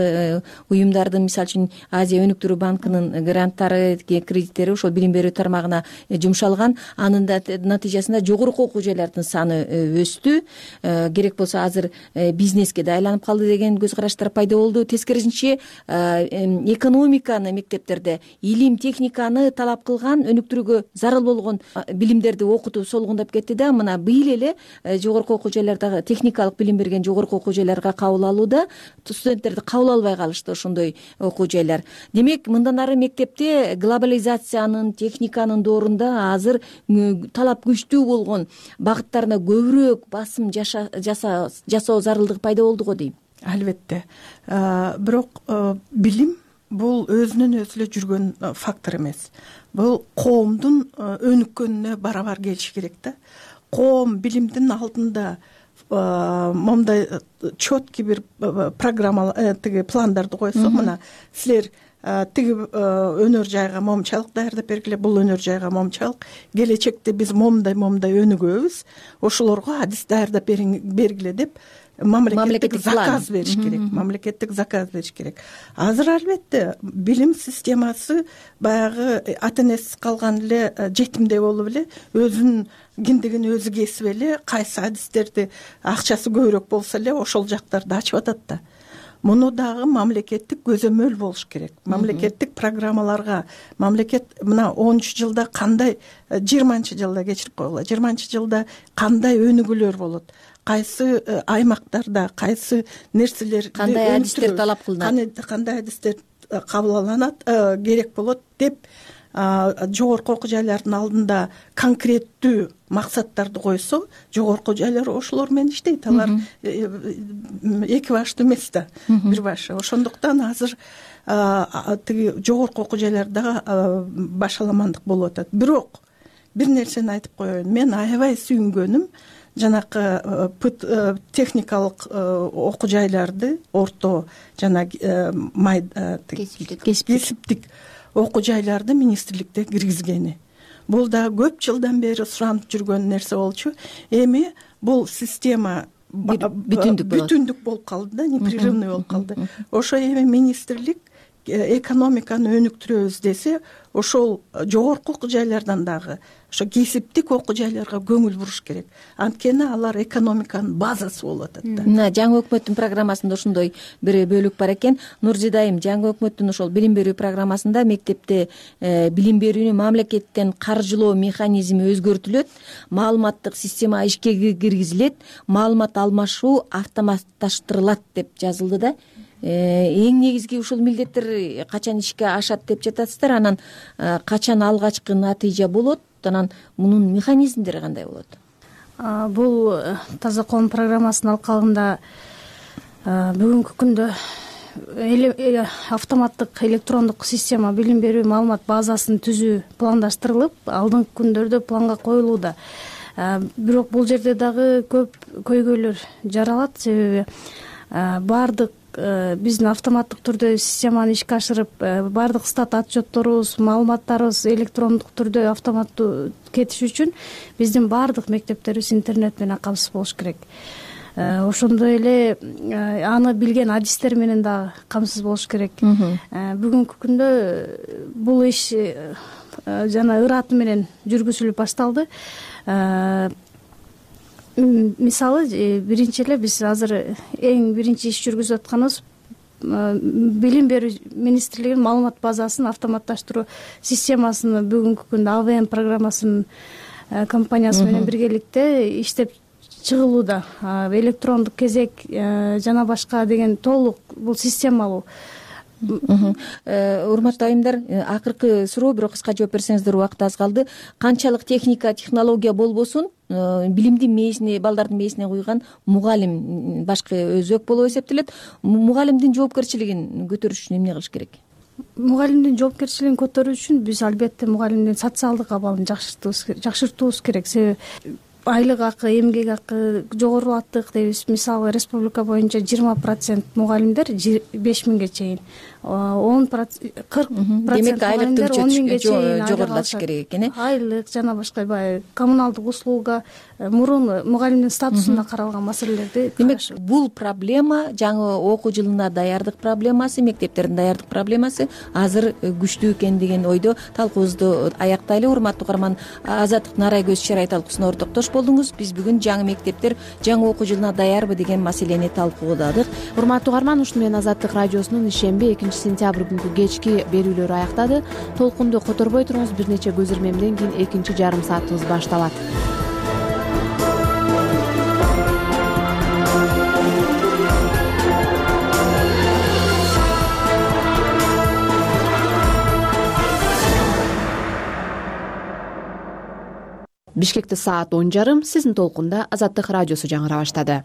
уюмдардын, мисалы үчүн Азия өнүктүрүү банкынын гранттары, кредиттери ошол билим берүү тармагына жумшалган. Анын натыйжасында жогорку окуу жайлардын саны өстү. Керек болсо азыр бизнеске да айланып калды деген көз караштар пайда болду. Тескерисинче экономиканы мектептерде, илим техниканы талап кылган, өнүктүрүүгө зарыл болгон билимдерди окутуу солгундап кетти да. Мына быйыл эле жогорку окуу жайлардагы техникалык билим берген жогорку окуу жайларга кабыл алууда студенттерди кабыл албай калышты ошондой окуу жайлар. Демек, мындан ары мектепте глобализациянын, техниканын доорунда азыр талап күчтүү болгон багыттарына көбүрөөк басым жасоо зарылдыгы пайда болду го дейм. Албетте. Бирок билим бул өзүнөн өзү эле жүргөн фактор эмес. Бул коомдун өнүккөнүнө барабар келиши керек да. Коом билимдин алдында момундай четкий бир программа, тиги пландарды койсо, мына силер тиги өнөр жайга момчалык даярдап бергиле, бул өнөр жайга момчалык, келечекте биз момундай момундай өнүгөбүз, ошолорго адис даярдап бергиле деп мамлекеттик заказ бериш керек. Мамлекеттик заказ бериш керек. Азыр албетте билим системасы баягы ата энесиз калган эле жетимдей болуп эле, өзүнүн киндигин өзү кесип эле, кайсы адистерди акчасы көбүрөөк болсо эле ошол жактарды ачып атат да. Муну дагы мамлекеттик көзөмөл болуш керек. Мамлекеттик программаларга, мамлекет мына онунчу жылда кандай, жыйырманчы жылда кечирип койгула, жыйырманчы жылда кандай өнүгүүлөр болот, кайсы аймактарда кайсы нерселер, кандай адистер талап кылынат, кандай адистер кабыл алынат, керек болот деп жогорку окуу жайлардын алдында конкреттүү максаттарды койсо, жогорку жайлар ошолор менен иштейт. Алар эки баштуу эмес да, бир башы. Ошондуктан азыр тиги жогорку окуу жайларда башаламандык болуп атат. Бирок бир нерсени айтып коеюн. Мен аябай сүйүнгөнүм жанакы техникалык окуу жайларды, орто жана кесиптик окуу жайларды министрликте киргизгени. Бул да көп жылдан бери суранып жүргөн нерсе болчу. Эми бул система бүтүндүк болуп калды да, непрерывный болуп калды. Ошо эми министрлик экономиканы өнүктүрөбүз десе, ошол жогорку окуу жайлардан дагы ошо кесиптик окуу жайларга көңүл буруш керек. Анткени алар экономиканын базасы болуп атат да. Мына жаңы өкмөттүн программасында ошондой бир бөлүк бар экен. Нурзида айым, жаңы өкмөттүн ошол билим берүү программасында мектепте билим берүүнү мамлекеттен каржылоо механизми өзгөртүлөт, маалыматтык система ишке киргизилет, маалымат алмашуу автоматташтырылат деп жазылды да. Эң негизги ушул милдеттер качан ишке ашат деп жатасыздар, анан качан алгачкы натыйжа болот, анан мунун механизмдери кандай болот? Бул таза коом программасынын алкагында бүгүнкү күндө автоматтык электрондук система билим берүү маалымат базасын түзүү пландаштырылып, алдыңкы күндөрдө планга коюлууда. Бирок бул жерде дагы көп көйгөйлөр жаралат, себеби баардык биздин автоматтык түрдө системаны ишке ашырып, баардык стат отчетторубуз, маалыматтарыбыз электрондук түрдө автоматтуу кетиш үчүн биздин баардык мектептерибиз интернет менен камсыз болуш керек. Ошондой эле аны билген адистер менен дагы камсыз болуш керек. Бүгүнкү күндө бул иш жана ыраты менен жүргүзүлүп башталды. Мисалы, биринчи эле биз азыр эң биринчи иш жүргүзүп атканыбыз билим берүү министрлигинин маалымат базасын автоматташтыруу системасын бүгүнкү күндө А В М программасынын компаниясы менен биргеликте иштеп чыгылууда. Электрондук кезек жана башка деген толук бул системалуу. Урматтуу айымдар, акыркы суроо, бирок кыска жооп берсеңиздер, убакыт аз калды. Канчалык техника, технология болбосун, билимдин мээсине, балдардын мээсине куйган мугалим башкы өзөк болуп эсептелет. Мугалимдин жоопкерчилигин көтөрүш үчүн эмне кылыш керек? Мугалимдин жоопкерчилигин көтөрүү үчүн биз албетте мугалимдин социалдык абалын жакшыртуубуз керек. Себеби айлык акы, эмгек акы жогорулаттык дейбиз. Мисалы республика боюнча жыйырма процент мугалимдер беш миңге чейин, он процент кырк процент демек айлык он миңге чейин жогорулатыш керек экен э айлык жана башка баягы коммуналдык услуга, мурун мугалимдин статусунда каралган маселелерди. Демек бул проблема жаңы окуу жылына даярдык проблемасы, мектептердин даярдык проблемасы азыр күчтүү экен деген ойдо талкуубузду аяктайлы. Урматтуу угарман, Азаттык Нарай көз чарай талкуусуна ортоктош болдуңуз. Биз бүгүн жаңы мектептер жаңы окуу жылына даярбы деген маселени талкууладык. Урматтуу угарман, ушуну менен Азаттык радиосунун ишемби экинчи сентябрь күнкү кечки берүүлөрү аяктады. Толкунду которбой туруңуз, бир нече көз ирмемден кийин экинчи жарым саатыбыз башталат. Бишкекте саат он жарым, сиздин толкунда Азаттык радиосу жаңыра баштады.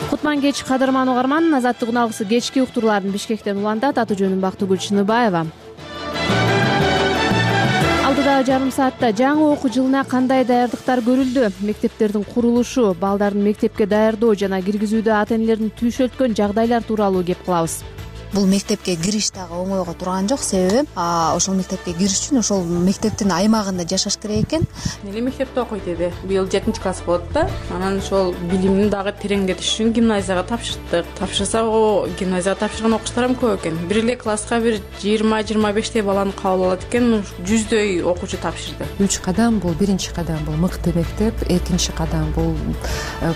Кутман кеч кадырман угарман, Азаттыктын алгысы кечки уктурууларын Бишкектен улантат. Аты жөнүм Бактыгүл Чыныбаева. Алдыдагы жарым саатта жаңы окуу жылына кандай даярдыктар көрүлдү, мектептердин курулушу, балдардын мектепке даярдоо жана киргизүүдө ата-энелердин түйшөлткөн жагдайлар тууралуу кеп кылабыз. Бул мектепке кириш дагы оңойго турган жок. Себеби ошол мектепке кириш үчүн ошол мектептин аймагында жашаш керек экен. Эле мектепте окуйт эди. Быйыл жетинчи класс болот да. Анан ошол билимин дагы тереңдетиш үчүн гимназияга тапшырдык. Тапшырсак, о гимназияга тапшырган окуучулар эми көп экен. Бир эле класска бир жыйырма жыйырма бештей баланы кабыл алат экен. жүздөй окуучу тапшырды. Үч кадам бул биринчи кадам бул мыкты мектеп, экинчи кадам бул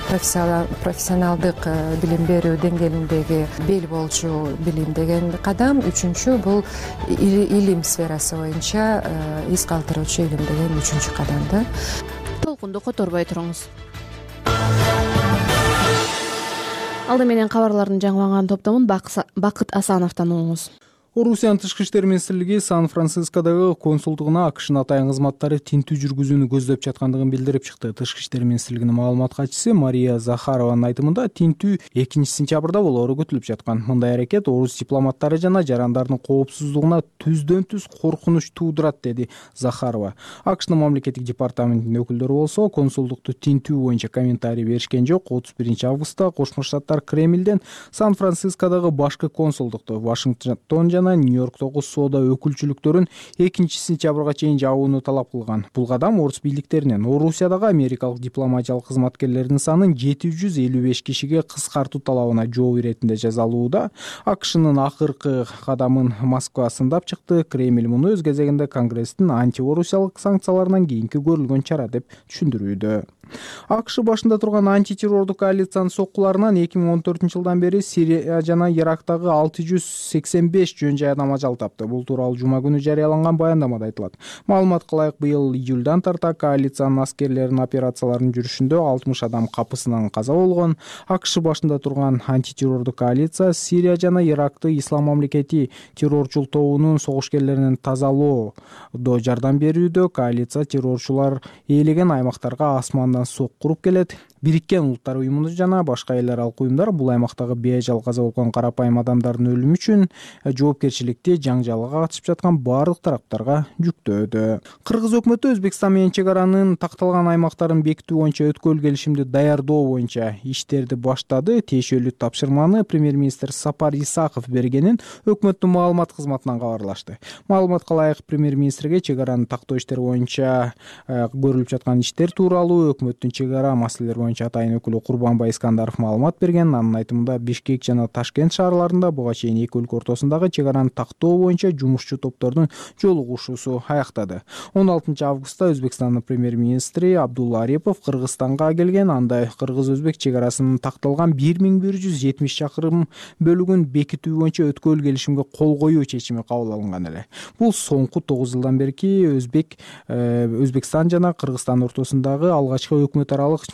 профессионалдык билим берүү деңгээлиндеги бел болчу билим деген кадам, үчүнчү бул илим сферасы боюнча из калтыруучу илим деген үчүнчү кадамда. Толкунду которбой туруңуз. Алды менен кабарлардын жаңыланган топтомун Бакыт Асановдон угуңуз. Орусиянын тышкы иштер министрлиги Сан-Францискодогу консулдугуна АКШнын атайын кызматтары тинтүү жүргүзүүнү көздөп жаткандыгын билдирип чыкты. Тышкы иштер министрлигинин маалымат катчысы Мария Захарованын айтымында тинтүү экинчи сентябрда болоору күтүлүп жаткан. Мындай аракет орус дипломаттары жана жарандардын коопсуздугуна түздөн түз коркунуч туудурат, деди Захарова. АКШнын мамлекеттик департаментинин өкүлдөрү болсо консулдукту тинтүү боюнча комментарий беришкен жок. отуз биринчи августта Кошмо Штаттар Кремлден Сан-Францискодогу башкы консулдукту Вашингтон жана Нью-Йорктогу соода өкүлчүлүктөрүн экинчи сентябрга чейин жабууну талап кылган. Бул кадам орус бийликтеринен Орусиядагы америкалык дипломатиялык кызматкерлердин санын жети жүз элүү беш кишиге кыскартуу талабына жооп иретинде жазалууда. АКШнын акыркы кадамын Москва сындап чыкты. Кремль муну өз кезегинде Конгресстин антиорусиялык санкцияларынан кийинки көрүлгөн чара деп түшүндүрүүдө. АКШ башында турган антитеррордук коалициянын соккуларынан эки миң он төртүнчү жылдан бери Сирия жана Ирактагы алты жүз сексен беш жөн жай адам ажал тапты. Бул тууралуу жума күнү жарыяланган баяндамада айтылат. Маалыматка ылайык, быйыл июлдан тарта коалициянын аскерлеринин операцияларынын жүрүшүндө алтымыш адам капысынан каза болгон. АКШ башында турган антитеррордук коалиция Сирия жана Иракты Ислам мамлекети террорчул тобунун согушкерлеринен тазалоодо жардам берүүдө. Коалиция террорчулар ээлеген аймактарга асмандан сок куруп келет. Бириккен Улуттар уюму жана башка эл аралык уюмдар бул аймактагы бейажал каза болгон карапайым адамдардын өлүмү үчүн жоопкерчиликти жаңжалга катышып жаткан баардык тараптарга жүктөөдө. Кыргыз өкмөтү Өзбекстан менен чек аранын такталган аймактарын бекитүү боюнча өткөл келишимди даярдоо боюнча иштерди баштады. Тиешелүү тапшырманы премьер-министр Сапар Исаков бергенин өкмөттүн маалымат кызматынан кабарлашты. Маалыматка ылайык, премьер-министрге чек араны тактоо иштери боюнча көрүлүп жаткан иштер тууралуу өкмөттүн чек ара маселелери боюнча атайын өкүлү Курбанбай Искандаров маалымат берген. Анын айтымында Бишкек жана Ташкент шаарларында буга чейин эки өлкө ортосундагы чек араны тактоо боюнча жумушчу топтордун жолугушуусу аяктады. он алтынчы августта Өзбекстандын премьер-министри Абдулла Арипов Кыргызстанга келген. Анда кыргыз-өзбек чек арасынын такталган бир миң бир жүз жетимиш чакырым бөлүгүн бекитүү боюнча өткөл келишимге кол коюу чечими кабыл алынган эле. Бул соңку тогуз жылдан берки Өзбек Өзбекстан жана Кыргызстан ортосундагы алгачкы өкмөт аралык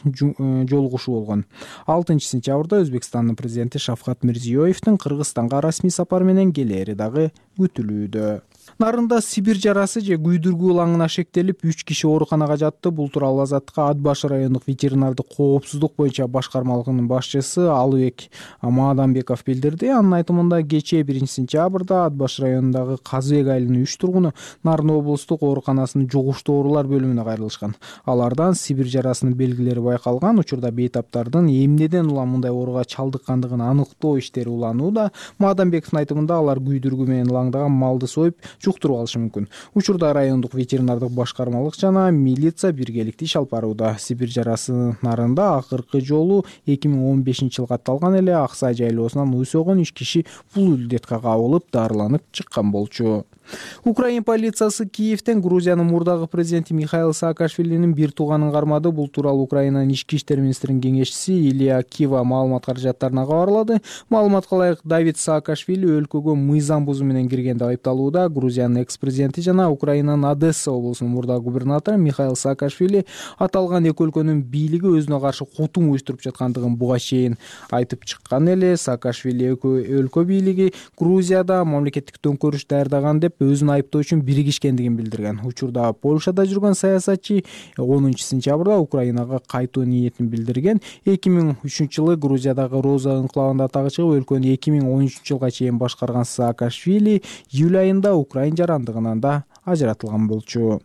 жолугушуу болгон. алтынчы сентябрда Өзбекстандын президенти Шавкат Мирзиёевдин Кыргызстанга расмий сапар менен келери дагы күтүлүүдө. Нарында Сибир жарасы же күйдүргү ылаңына шектелип үч киши ооруканага жатты. Бул тууралуу Азаттыкка Ат башы райондук ветеринардык коопсуздук боюнча башкармалыгынын башчысы Алыбек Маадамбеков билдирди. Анын айтымында кечээ биринчи сентябрда Ат башы районундагы Казыбек айылынын үч тургуну Нарын облустук ооруканасынын жугуштуу оорулар бөлүмүнө кайрылышкан. Алардан Сибир жарасынын белгилери байкалган. Учурда бейтаптардын эмнеден улам мындай ооруга чалдыккандыгын аныктоо иштери уланууда. Маадамбековдун айтымында алар күйдүргү менен ылаңдаган малды союп жуктуруп алышы мүмкүн. Учурда райондук ветеринардык башкармалык жана милиция биргеликте иш алып барууда. Сибир жарасы нарында акыркы жолу эки миң он бешинчи жылы катталган эле Ак Сай жайлоосунан уй согон үч киши бул илдетке кабылып дарыланып чыккан болчу. Украин полициясы Киевден Грузиянын мурдагы президенти Михаил Саакашвилинин бир тууганын кармады. Бул тууралуу Украинанын ички иштер министринин кеңешчиси Илья Кива маалымат каражаттарына кабарлады. Маалыматка ылайык Давид Саакашвили өлкөгө мыйзам бузуу менен кирген деп айыпталууда. Грузиянын экс-президенти жана Украинанын Одесса облусунун мурдагы губернатору Михаил Саакашвили аталган эки өлкөнүн бийлиги өзүнө каршы кутум уюштуруп жаткандыгын буга чейин айтып чыккан эле. Саакашвили өлкө бийлиги Грузияда мамлекеттик төңкөрүш даярдаган деп өзүн айыптоо үчүн биригишкендигин билдирген. Учурда Польшада жүргөн саясатчы онунчу сентябрда Украинага кайтуу ниетин билдирген. эки миң үчүнчү жылы Грузиядагы Роза энклавында атагы чыгып, өлкөнү эки миң он үчүнчү жылга чейин башкарган Саакашвили июль айында Украин жарандыгынан да ажыратылган болчу.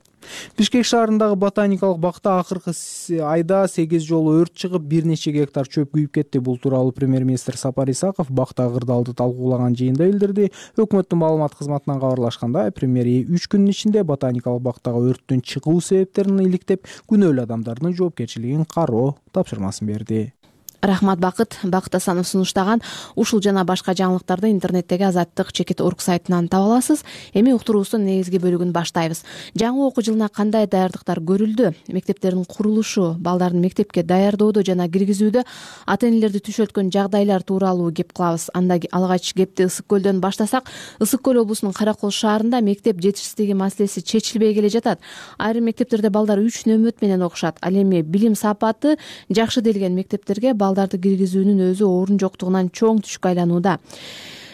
Бишкек шаарындагы ботаникалык бакта акыркы айда сегиз жолу өрт чыгып, бир нече гектар чөп күйүп кетти. Бул тууралуу премьер-министр Сапар Исаков бакта кырдаалды талкуулаган жыйында билдирди. Өкмөттүн маалымат кызматынан кабарлашканда, премьер үч күндүн ичинде ботаникалык бактагы өрттүн чыгуу себептерин иликтеп, күнөөлүү адамдардын жоопкерчилигин кароо тапшырмасын берди. Рахмат Бакыт. Бакыт Асанов сунуштаган ушул жана башка жаңылыктарды интернеттеги Азаттык чекит орг сайтынан таба аласыз. Эми уктуруубуздун негизги бөлүгүн баштайбыз. Жаңы окуу жылына кандай даярдыктар көрүлдү? Мектептердин курулушу, балдардын мектепке даярдоодо жана киргизүүдө ата энелерди түшөлткөн жагдайлар тууралуу кеп кылабыз. Анда алгач кепти Ысык көлдөн баштасак, Ысык көл облусунун Каракол шаарында мектеп жетишсиздиги маселеси чечилбей келе жатат. Айрым мектептерде балдар үч нөмөт менен окушат. Ал эми билим сапаты жакшы делген мектептерге балдарды киргизүүнүн өзү орун жоктугунан чоң түшкө айланууда.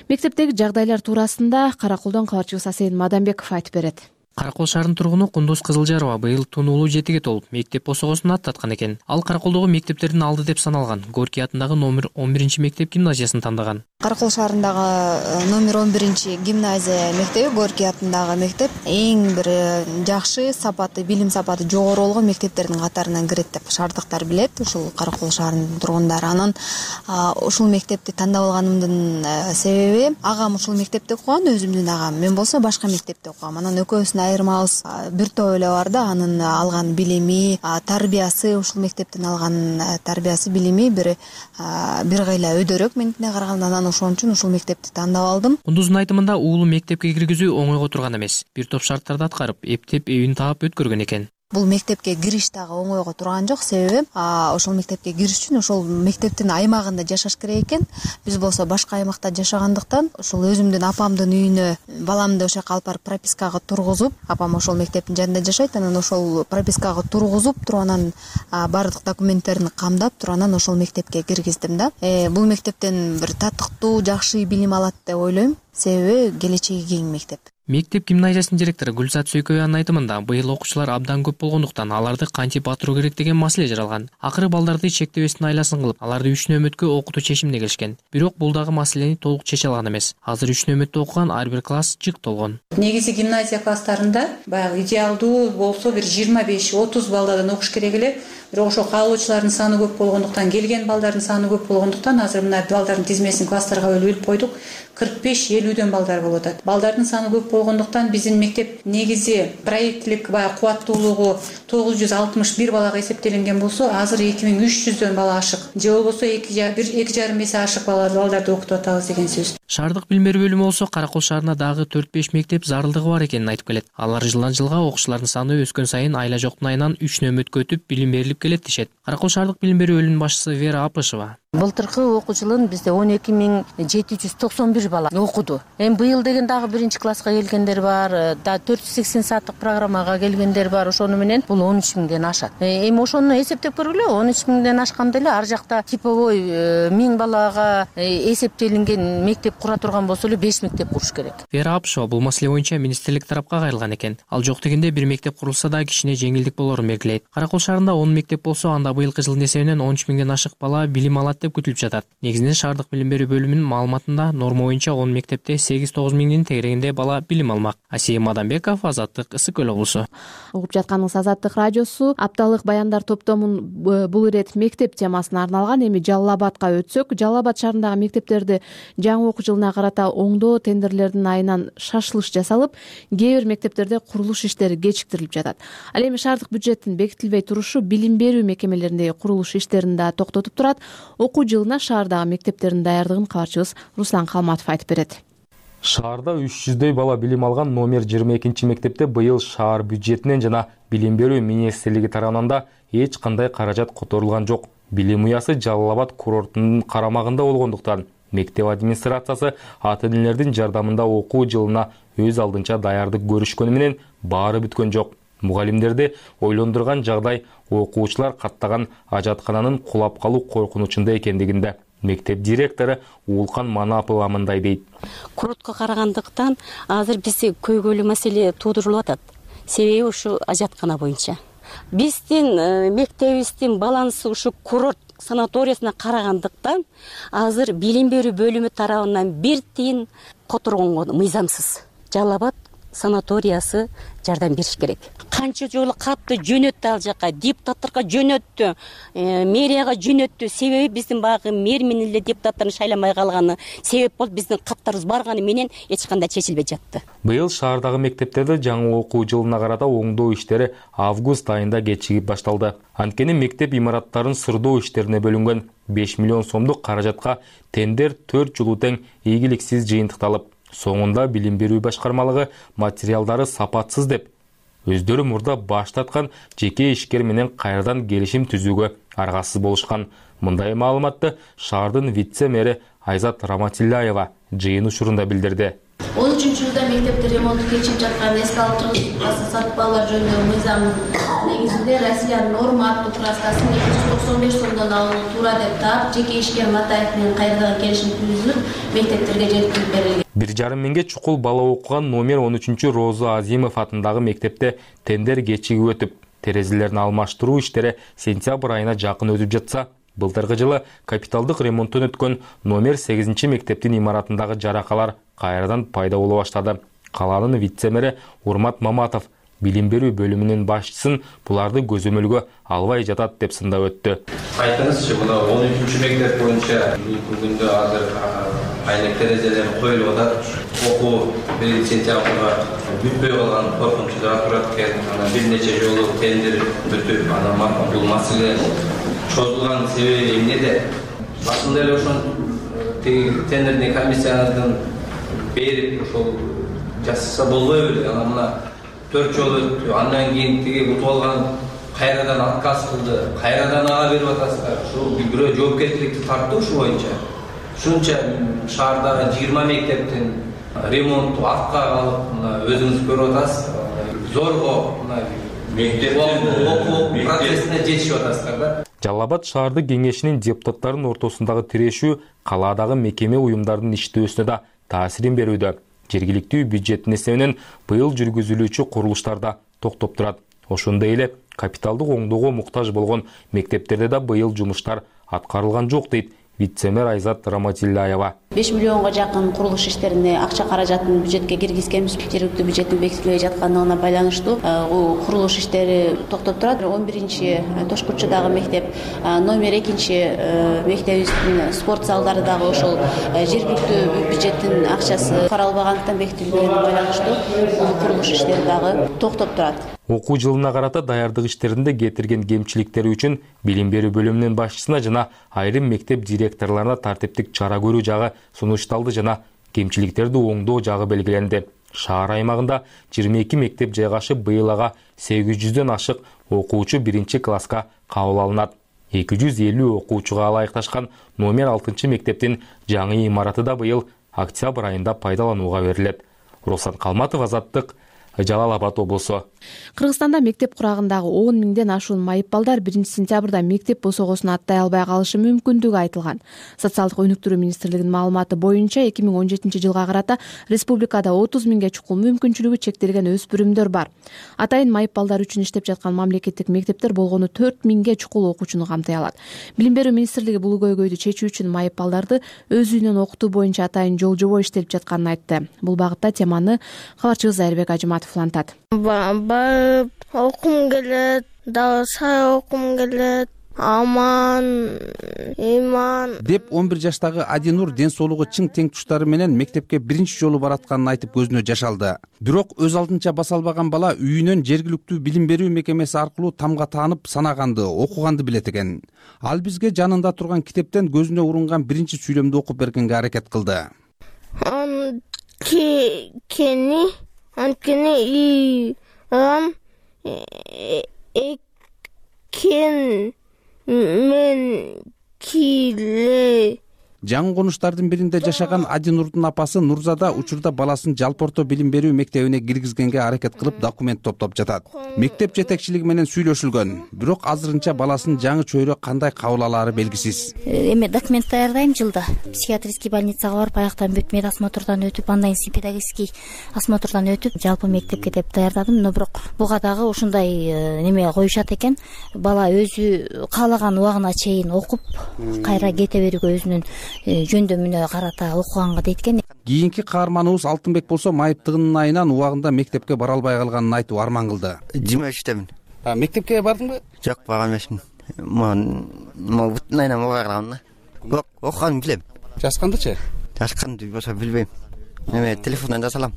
Мектептеги жагдайлар туурасында Караколдон кабарчыбыз Асейин Мадамбеков айтып берет. Каракол шаарынын тургуну Кундуз Кызылжарова быйыл тунуулуу жетиге толуп, мектеп босогосун аттаткан экен. Ал Караколдогу мектептердин алды деп саналган Горький атындагы номер он биринчи мектеп гимназиясын тандаган. Каракол шаарындагы номер он биринчи гимназия мектеби, Горький атындагы мектеп эң бир жакшы сапаты, билим сапаты жогору болгон мектептердин катарынан кирет деп шаардыктар билет. Ушул Каракол шаарынын тургундары. Анан ушул мектепти тандап алганымдын себеби, агам ушул мектепте окуган, өзүмдүн агам. Мен болсо башка мектепте окугам. Анан экөөбүздүн айырмабыз бир топ эле бар да, анын алган билими, тарбиясы, ушул мектептен алган тарбиясы, билими бир бир кыйла өйдөрөөк меникине караганда. Анан ошон үчүн ушул мектепти тандап алдым. Кундуздун айтымында уулу мектепке киргизүү оңойго турган эмес. Бир топ шарттарды аткарып, эптеп эбин таап өткөргөн экен. Бул мектепке кириш дагы оңойго турган жок. Себеби ошол мектепке кириш үчүн ошол мектептин аймагында жашаш керек экен. Биз болсо башка аймакта жашагандыктан, ошол өзүмдүн апамдын үйүнө баламды ошол жака алып барып пропискага тургузуп, апам ошол мектептин жанында жашайт. Анан ошол пропискага тургузуп туруп, анан баардык документтерин камдап туруп, анан ошол мектепке киргиздим да. Э, бул мектептен бир татыктуу, жакшы билим алат деп ойлойм. Себеби келечеги кең мектеп. Мектеп гимназиясынын директору Гүлзат Сөйкөбаянын айтымында, быйыл окуучулар абдан көп болгондуктан аларды кантип батыруу керек деген маселе жаралган. Акыры балдарды чектебестин айласын кылып, аларды үч нөмөткө окутуу чечимине келишкен. Бирок бул дагы маселени толук чече алган эмес. Азыр үч нөмөттө окуган ар бир класс жык толгон. Негизи гимназия класстарында баягы идеалдуу болсо бир жыйырма беш отуз балдардан окуш керек эле. Бирок ошо каалоочулардын саны көп болгондуктан, келген балдардын саны көп болгондуктан азыр мына балдардын тизмесин класстарга бөлүп койдук. кырк беш элүүдөн балдар болуп атат. Балдардын саны көп болгондуктан биздин мектеп негизи проекттилик баягы кубаттуулугу тогуз жүз алтымыш бир балага эсептелинген болсо, азыр эки миң үч жүздөн бала ашык. Же болбосо эки жарым эсе ашык балдарды окутуп атабыз деген сөз. Шаардык билим берүү бөлүмү болсо Каракол шаарында дагы төрт беш мектеп зарылдыгы бар экенин айтып келет. Алар жылдан жылга окуучулардын саны өскөн сайын айла жоктун айынан үч нөмөткө өтүп билим берилип келет дешет. Каракол шаардык билим берүү бөлүмүнүн башчысы Вера Апышева. Былтыркы окуу жылын бизде он эки миң жети жүз токсон бир бала окуду. Эми быйыл деген дагы биринчи класска келгендер бар, да төрт жүз сексен сааттык программага келгендер бар. Ошону менен бул он үч миңден ашат. Эми ошону эсептеп көргүлө, он үч миңден ашканда эле ар жакта типовой миң балага эсептелинген мектеп кура турган болсо эле беш мектеп куруш керек. Вера Апшева бул маселе боюнча министрлик тарапка кайрылган экен. Ал жок дегенде бир мектеп курулса да кичине жеңилдик болорун белгилейт. Кара Кол шаарында он мектеп болсо, анда быйылкы жылдын эсебинен он үч миңден ашык бала билим алат деп күтүлүп жатат. Негизинен шаардык билим берүү бөлүмүнүн маалыматында норма боюнча он мектепте сегиз тогуз миңдин тегерегинде бала билим алмак. Асия Мадамбеков, Азаттык, Ысык Көл облусу. Угуп жатканыңыз Азаттык радиосу. Апталык баяндар топтомун бул ирет мектеп темасына арналган. Эми Жалал Абадка өтсөк, Жалал Абад шаарындагы мектептерди жаңы окуу жылына карата оңдоо тендерлердин айынан шашылыш жасалып, кээ бир мектептерде курулуш иштери кечиктирилип жатат. Ал эми шаардык бюджеттин бекитилбей турушу билим берүү мекемелериндеги курулуш иштерин да токтотуп турат. Окуу жылына шаардагы мектептердин даярдыгын кабарчыбыз Руслан Калматов айтып берет. Шаарда үч жүздөй бала билим алган номер жыйырма экинчи мектепте быйыл шаар бюджетинен жана билим берүү министрлиги тарабынан да эч кандай каражат которулган жок. Билим уясы Жалал Абад курортунун карамагында болгондуктан мектеп администрациясы ата-энелердин жардамында окуу жылына өз алдынча даярдык көрүшкөнү менен баары бүткөн жок. Мугалимдерди ойлондурган жагдай окуучулар каттаган ажаткананын кулап калуу коркунучунда экендигинде. Мектеп директору Уулкан Манапова мындай дейт. Курортко карагандыктан азыр бизде көйгөйлүү маселе туудурулуп атат. Себеби ушу ажаткана боюнча. Биздин мектебибиздин балансы ушу курорт санаториясына карагандыктан азыр билим берүү бөлүмү тарабынан бир тиын которгонго мыйзамсыз. Жалал Абад санаториясы жардам бериш керек. Канча жолу катты жөнөттү ал жака, депутаттарга жөнөттү, мэрияга жөнөттү. Себеби биздин багы мэр менен эле депутаттарын шайламай калганы себеп болуп биздин каттарыбыз барганы менен эч кандай чечилбей жатты. Быйыл шаардагы мектептерде жаңы окуу жылына карата оңдоо иштери август айында кечигип башталды. Анткени мектеп имараттарын сырдоо иштерине бөлүнгөн беш миллион сомдук каражатка тендер төрт жылуу тең ийгиликсиз жыйынтыкталып, соңунда билим берүү башкармалыгы материалдары сапатсыз деп өздөрү мурда баштаткан жеке ишкер менен кайрадан келишим түзүүгө аргасыз болушкан. Мындай маалыматты шаардын вице-мэри Айзат Раматилляева жыйын учурунда билдирди. он үчүнчү жылда мектепте ремонту кечип жаткан эске алдыргыс сатып-алуулар жөнүндөгү мыйзамдын негизинде Россиянын норма аттуу краскасын эки жүз токсон беш сомдон алуу туура деп таап, жеке ишкер Матаев менен кайрадан келишим түзүлүп, мектептерге жеткирип берилген. Бир жарым миңге чукул бала окуган номер он үчүнчү Роза Азимов атындагы мектепте тендер кечигип өтүп, терезелерин алмаштыруу иштери сентябрь айына жакын өтүп жатса, былтыркы жылы капиталдык ремонттон өткөн номер сегизинчи мектептин имаратындагы жаракалар кайрадан пайда боло баштады. Калаанын вице-мэри Урмат Маматов билим берүү бөлүмүнүн башчысын буларды көзөмөлгө албай жатат деп сындап өттү. Айтыңызчы, мына он үчүнчү мектеп боюнча бүгүндө азыр айнек терезелер коюлуп атат. Окуу бир сентябрга бүтпөй калган коркунучта турат экен. Анан бир нече жолу тендер өтүп, анан бул маселе чозулган себеби эмнеде? Башында эле ошон тендердин комиссиянын берип ошол жасаса болбой беле. Анан мына төрт жол өттү. Андан кийин тиги утуп алган кайрадан отказ кылды. Кайрадан ага берип атасыздар. Ушу бирөө жоопкерчиликти тартты ушу боюнча. Ушунча шаардагы жыйырма мектептин ремонту артка калып, мына өзүңүз көрүп атасыз. Зорго мына мектептин окуу процессине жетишип атасыздар да. Жалал Абад шаардык кеңешинин депутаттарынын ортосундагы тирешүү калаадагы мекеме уюмдардын иштөөсүнө да таасирин берүүдө. Жергиликтүү бюджеттин эсебинен быйыл жүргүзүлүүчү курулуштарда токтоп турат. Ошондой эле капиталдык оңдоого муктаж болгон мектептерде да быйыл жумуштар аткарылган жок дейт вице-мэр Айзат Раматилляева. беш миллионго жакын курулуш иштерине акча каражатын бюджетке киргизгенбиз. Жергиликтүү бюджеттин бекитилбей жаткандыгына байланыштуу курулуш иштери токтоп турат. он биринчи Тошкучудагы мектеп, номер экинчи мектебибиздин спорт залдары дагы ошол жергиликтүү бюджеттин акчасы каралбагандыктан бекитилбегенине байланыштуу курулуш иштери дагы токтоп турат. Окуу жылына карата даярдык иштеринде кетирген кемчиликтери үчүн билим берүү бөлүмүнүн башчысына жана айрым мектеп директорлоруна тартиптик чара көрүү жагы сунушталды жана кемчиликтерди оңдоо жагы белгиленди. Шаар аймагында жыйырма эки мектеп жайгашып, быйыл ага сегиз жүздөн ашык окуучу биринчи класска кабыл алынат. эки жүз элүү окуучуга ылайыкташкан номер алтынчы мектептин жаңы имараты да быйыл октябрь айында пайдаланууга берилет. Руслан Калматов, Азаттык, Жалал Абад облусу. Кыргызстанда мектеп курагындагы он миңден ашуун майып балдар биринчи сентябрда мектеп босогосун аттай албай калышы мүмкүндүгү айтылган. Социалдык өнүктүрүү министрлигинин маалыматы боюнча эки миң он жетинчи жылга карата республикада отуз миңге чукул мүмкүнчүлүгү чектелген өспүрүмдөр бар. Атайын майып балдар үчүн иштеп жаткан мамлекеттик мектептер болгону төрт миңге чукул окуучуну камтый алат. Билим берүү министрлиги бул көйгөйдү чечүү үчүн майып балдарды өз үйүнөн окутуу боюнча атайын жол жобо иштелип жатканын айтты. Бул багытта теманы кабарчыбыз Айырбек Ажыматов улантат. Барып окум келет, дагы сай окум келет, аман, иман деп он бир жаштагы Адинур ден соолугу чың тең туштары менен мектепке биринчи жолу баратканын айтып көзүнө жаш алды. Бирок өз алдынча баса албаган бала үйүнөн жергиликтүү билим берүү мекемеси аркылуу тамга таанып санаганды, окуганды билет экен. Ал бизге жанында турган китептен көзүнө урунган биринчи сүйлөмдү окуп бергенге аракет кылды. Анткени анткени ам экен мен киле. Жаңы конуштардын биринде жашаган Адинурдун апасы Нурзада учурда баласын жалпы орто билим берүү мектебине киргизгенге аракет кылып документ топтоп жатат. Мектеп жетекчилиги менен сүйлөшүлгөн, бирок азырынча баласынын жаңы чөйрө кандай кабыл алаары белгисиз. Эми документ даярдайм жылда. Психиатрический больницага барып, аяктан бүт медосмотрдан өтүп, андан кийин педагогический осмотрдан өтүп, жалпы мектепке деп даярдадым. Но бирок буга дагы ушундай неме коюшат экен. Бала өзү каалаган убагына чейин окуп, кайра кете берүүгө өзүнүн жөндөмүнө карата окуганга дейт экен. Кийинки каарманыбыз Алтынбек болсо майыптыгынын айынан убагында мектепке бара албай калганын айтып арман кылды. жыйырма үчтөмүн. Мектепке бардыңбы? Жок, барган эмесмин. Могу бүтүн айынан убагы калган. Бирок окуганды билем. Жазгандычы? Жазганды болсо билбейм. Эме телефондон жазалам.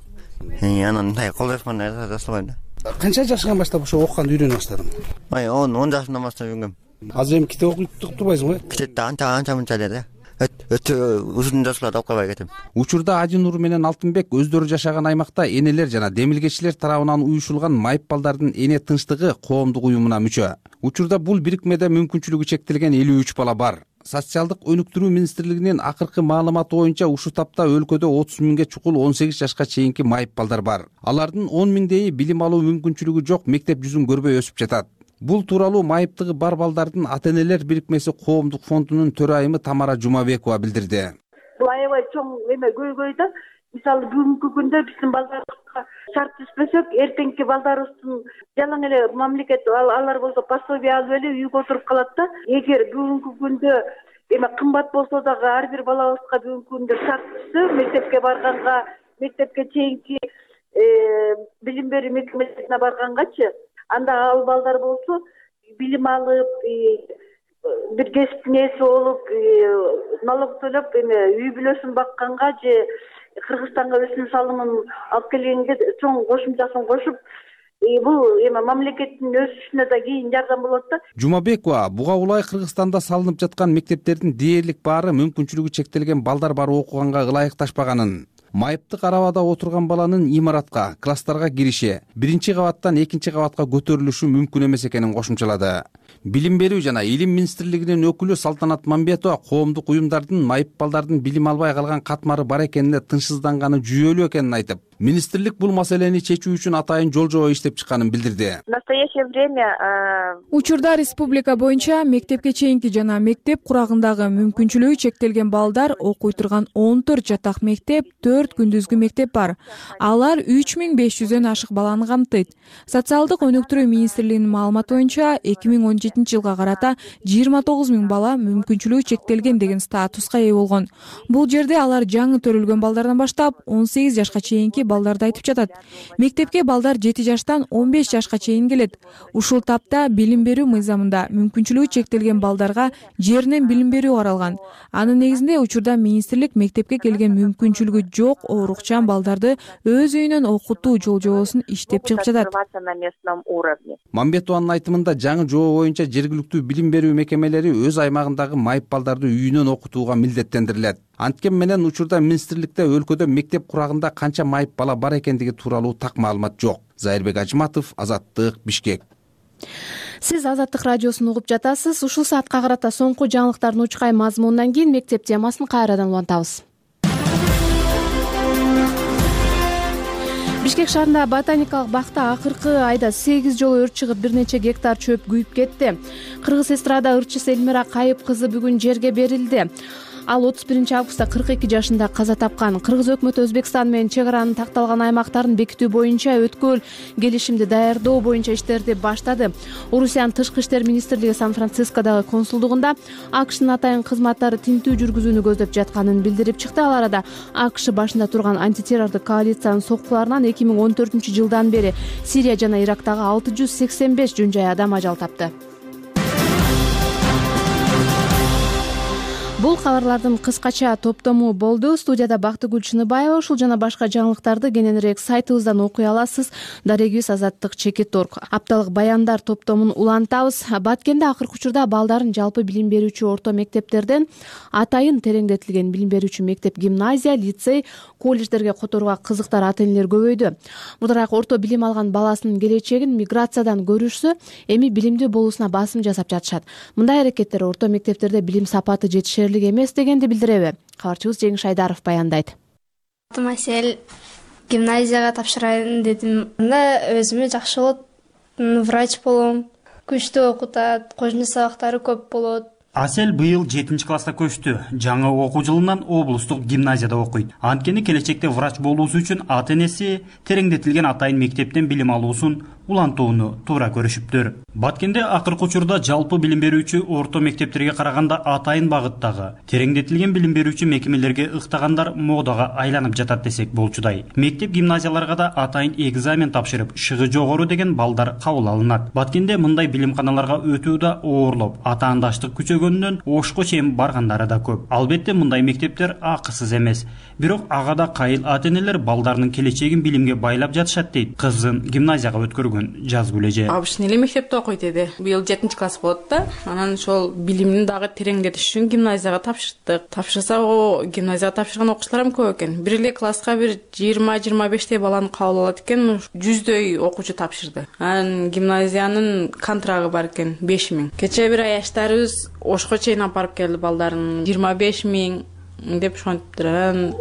Анан мындай кол телефондон жазалбайм да. Канча жашынан баштап ошо окуганды үйрөнө баштадың? Ай, он жашымдан баштап үйрөнгөм. Азыр эми китеп окуп турбайсыңбы? Китепти анча анча мынча эле. Өтө узун жашларды окубай кетем. Учурда Адинур менен Алтынбек өздөрү жашаган аймакта энелер жана демилгечилер тарабынан уюшулган майып балдардын эне тынчтыгы коомдук уюмуна мүчө. Учурда бул бирикмеде мүмкүнчүлүгү чектелген элүү үч бала бар. Социалдык өнүктүрүү министрлигинин акыркы маалыматы боюнча ушул тапта өлкөдө отуз миңге чукул он сегиз жашка чейинки майып балдар бар. Алардын он миңдейи билим алуу мүмкүнчүлүгү жок, мектеп жүзүн көрбөй өсүп жатат. Бул тууралуу майыптыгы бар балдардын ата-энелер бирикмеси коомдук фондунун төрайымы Тамара Жумабекова билдирди. Бул аябай чоң эме көйгөй да. Мисалы бүгүнкү күндө биздин балдарыбызга шарт түзбөсөк, эртеңки балдарыбыздын жалаң эле мамлекет алар болсо пособие алып эле үйгө отуруп калат да. Эгер бүгүнкү күндө эме кымбат болсо дагы ар бир балабызга бүгүнкү күндө шарт түзсө, мектепке барганга, мектепке чейинки билим берүү мекемесине баргангачы, анда ал балдар болсо билим алып, бир кесиптин ээси болуп, налог төлөп, эме үй бүлөсүн бакканга же Кыргызстанга өсүм салымын алып келгенге чоң кошумчасын кошуп, бул эме мамлекеттин өсүшүнө да кийин жардам болот да. Жумабекова буга улай Кыргызстанда салынып жаткан мектептердин дээрлик баары мүмкүнчүлүгү чектелген балдар бар окуганга ылайыкташпаганын, майыптык арабада отурган баланын имаратка, класстарга кириши, биринчи кабаттан экинчи кабатка көтөрүлүшү мүмкүн эмес экенин кошумчалады. Билим берүү жана илим министрлигинин өкүлү Салтанат Мамбетова коомдук уюмдардын майып балдардын билим албай калган катмары бар экенине тынчсызданганы жүйөлүү экенин айтып, министрлик бул маселени чечүү үчүн атайын жол жобо иштеп чыкканын билдирди. В настоящее время учурда республика боюнча мектепке чейинки жана мектеп курагындагы мүмкүнчүлүгү чектелген балдар окуй турган он төрт жатак мектеп, төрт күндүзгү мектеп бар. Алар үч миң беш жүздөн ашык баланы камтыйт. Социалдык өнүктүрүү министрлигинин маалыматы боюнча эки миң он жетинчи жылга карата жыйырма тогуз миң бала мүмкүнчүлүгү чектелген деген статуска ээ болгон. Бул жерде алар жаңы төрөлгөн балдардан баштап он сегиз жашка чейинки балдарды айтып жатат. Мектепке балдар жети жаштан он беш жашка чейин келет. Ушул тапта билим берүү мыйзамында мүмкүнчүлүгү чектелген балдарга жеринен билим берүү каралган. Анын негизинде учурда министрлик мектепке келген мүмкүнчүлүгү жок оорукчан балдарды өз үйүнөн окутуу жол жобосун иштеп чыгып жатат. Мамбетованын айтымында жаңы жобо боюнча жергиликтүү билим берүү мекемелери өз аймагындагы майып балдарды үйүнөн окутууга милдеттендирилет. Анткен менен учурда министрликте өлкөдө мектеп курагында канча майып бала бар экендиги тууралуу так маалымат жок. Айырбек Ажыматов, Азаттык, Бишкек. Сиз Азаттык радиосун угуп жатасыз. Ушул саатка карата соңку жаңылыктардын учкай мазмунунан кийин мектеп темасын кайрадан улантабыз. Бишкек шаарында ботаникалык бакта акыркы айда сегиз жолу өрт чыгып, бир нече гектар чөп күйүп кетти. Кыргыз эстрада ырчысы Элмира Кайып кызы бүгүн жерге берилди. Ал отуз биринчи августта кырк эки жашында каза тапкан. Кыргыз өкмөтү Өзбекстан менен чек аранын такталган аймактарын бекитүү боюнча өткөл келишимди даярдоо боюнча иштерди баштады. Орусиянын тышкы иштер министрлиги Сан-Францискодагы консулдугунда АКШнын атайын кызматтары тинтүү жүргүзүүнү көздөп жатканын билдирип чыкты. Ал арада АКШ башында турган антитеррордук коалициянын соккуларынан эки миң он төртүнчү жылдан бери Сирия жана Ирактагы алты жүз сексен беш жөн жай адам ажал тапты. Бул кабарлардын кыскача топтому болду. Студияда Бактыгүл Чыныбаева. Ушул жана башка жаңылыктарды кененирээк сайтыбыздан окуй аласыз. Дарегибиз Азаттык Чекит орг. Апталык баяндар топтомун улантабыз. Баткенде акыркы учурда балдарын жалпы билим берүүчү орто мектептерден атайын тереңдетилген билим берүүчү мектеп, гимназия, лицей, колледждерге которууга кызыктар ата энелер көбөйдү. Мурдараак орто билим алган баласынын келечегин миграциядан көрүшсө, эми билимдүү болуусуна басым жасап жатышат. Мындай аракеттер орто мектептерде билим сапаты жетишерлик эмес дегенди билдиреби? Кабарчыбыз Жеңиш Айдаров баяндайт. Атым Асель, гимназияга тапшырайын дедим. Анда өзүмө жакшы болот, врач болом, күчтүү окутат, кожуну сабактары көп болот. Асель быйыл жетинчи класста көчтү. Жаңы окуу жылынан облустук гимназияда окуйт. Анткени келечекте врач болуусу үчүн ата энеси тереңдетилген атайын мектептен билим алуусун улантууну туура көрүшүптүр. Баткенде акыркы учурда жалпы билим берүүчү орто мектептерге караганда атайын багыттагы тереңдетилген билим берүүчү мекемелерге ыктагандар модага айланып жатат десек болчудай. Мектеп гимназияларга да атайын экзамен тапшырып, шыгы жогору деген балдар кабыл алынат. Баткенде мындай билимканаларга өтүү да оорлоп, атаандаштык күчөгөнүнөн ошко чейин баргандары да көп. Албетте мындай мектептер акысыз эмес. Бирок ага да кайыл ата энелер балдарынын келечегин билимге байлап жатышат дейт кызын гимназияга өткөргөн Жазгүл эже. Абышын эле мектепте окуйт эди. Быйыл жетинчи класс болот да. Анан ошол билимин дагы тереңдетиш үчүн гимназияга тапшырдык. Тапшырсак, о гимназияга тапшырган окуучулар эми көп экен. Бир эле класска бир жыйырма жыйырма бештей баланы кабыл алат экен, жүздөй окуучу тапшырды. Анан гимназиянын контрагы бар экен беш миң. Кечээ бир аяштарыбыз ошко чейин алып барып келди балдарын. жыйырма беш миң деп ошентиптир.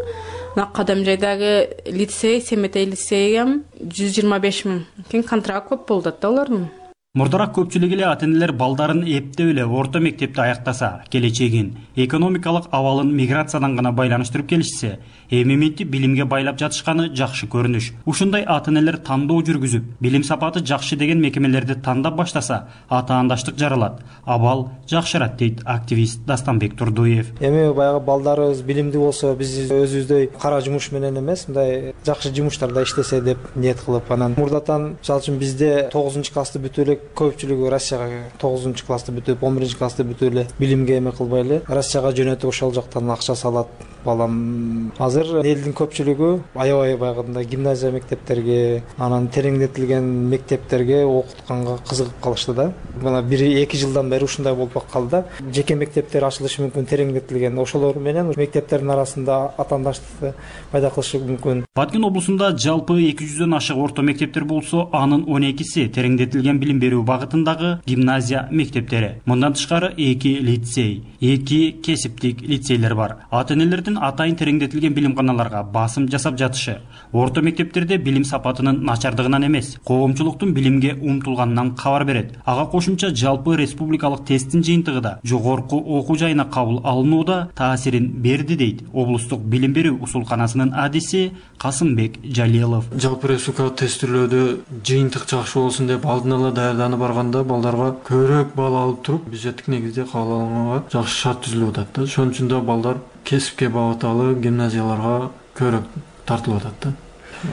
Кадамжайдагы лицей, Семетей лицейгем жүз жыйырма беш миң. Кен контракт көп болду да алардын. Мурдараак көпчүлүк эле ата энелер балдарын эптеп эле орто мектепте аяктаса, келечегин, экономикалык абалын миграциядан гана байланыштырып келишсе, эми мынтип билимге байлап жатышканы жакшы көрүнүш. Ушундай ата энелер тандоо жүргүзүп, билим сапаты жакшы деген мекемелерди тандап баштаса, атаандаштык жаралат, абал жакшырат дейт активист Дастанбек Турдуев. Эми баягы балдарыбыз билимдүү болсо, биз өзүбүздөй кара жумуш менен эмес, мындай жакшы жумуштарда иштесе деп ниет кылып, анан мурдатан мисалы үчүн бизде тогузунчу классты бүтүп эле көпчүлүгү Россияга тогузунчу классты бүтүп, он биринчи классты бүтүп эле билимге эме кылбай эле Россияга жөнөтүп ошол жактан акча салат. Балам азыр элдин көпчүлүгү аябай баягындай гимназия мектептерге, анан тереңдетилген мектептерге окутканга кызыгып калышты да. Мына бир эки жылдан бери ушундай болуп калды да. Жеке мектептер ачылышы мүмкүн тереңдетилген. Ошолор менен мектептердин арасында атаандаштыкты пайда кылышы мүмкүн. Баткен облусунда жалпы эки жүздөн ашык орто мектептер болсо, анын он экиси тереңдетилген билим берүү багытындагы гимназия мектептери. Мындан тышкары эки лицей, эки кесиптик лицейлер бар. Ата энелердин атайын тереңдетилген билимканаларга басым жасап жатышы орто мектептерде билим сапатынын начардыгынан эмес, коомчулуктун билимге умтулганынан кабар берет. Ага кошумча жалпы республикалык тесттин жыйынтыгы да жогорку окуу жайына кабыл алынууда таасирин берди дейт облустук билим берүү усулканасынын адиси Касымбек Жалилов. Жалпы республикалык тестилөөдө жыйынтык жакшы болсун деп алдын ала даярданып барганда балдарга көбүрөөк балл алып туруп бюджеттик негизде кабыл алынганга жакшы шарт түзүлүп атат да. Ошон үчүн да балдар кесипке багыталы гимназияларга көбүрөөк тартылып атат да.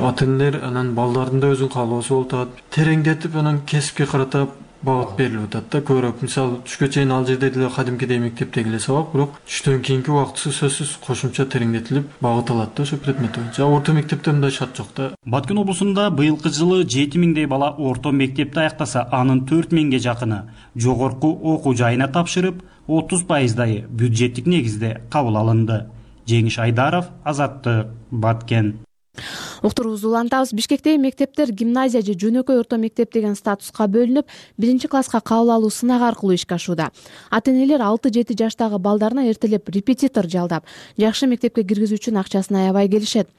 Ата энелер анан балдардын да өзүнүн каалоосу болуп атат. Тереңдетип анан кесипке карата багыт берилип атат да. Көбүрөөк мисалы түшкө чейин ал жерде деле кадимкидей мектептеги эле сабак, бирок түштөн кийинки убактысы сөзсүз кошумча тереңдетилип багыт алат да ошо предмет боюнча. Орто мектепте мындай шарт жок да. Баткен облусунда быйылкы жылы жети миңдей бала орто мектепте аяктаса, анын төрт миңге жакыны жогорку окуу жайына тапшырып, отуз пайыздайы бюджеттик негизде кабыл алынды. Жеңиш Айдаров, Азаттык, Баткен. Уктуруубузду улантабыз. Бишкектеги мектептер гимназия же жөнөкөй орто мектеп деген статуска бөлүнүп, биринчи класска кабыл алуу сынак аркылуу ишке ашууда. Ата-энелер алты жети жаштагы балдарына эртелеп репетитор жалдап, жакшы мектепке киргизүү үчүн акчасын аябай келишет.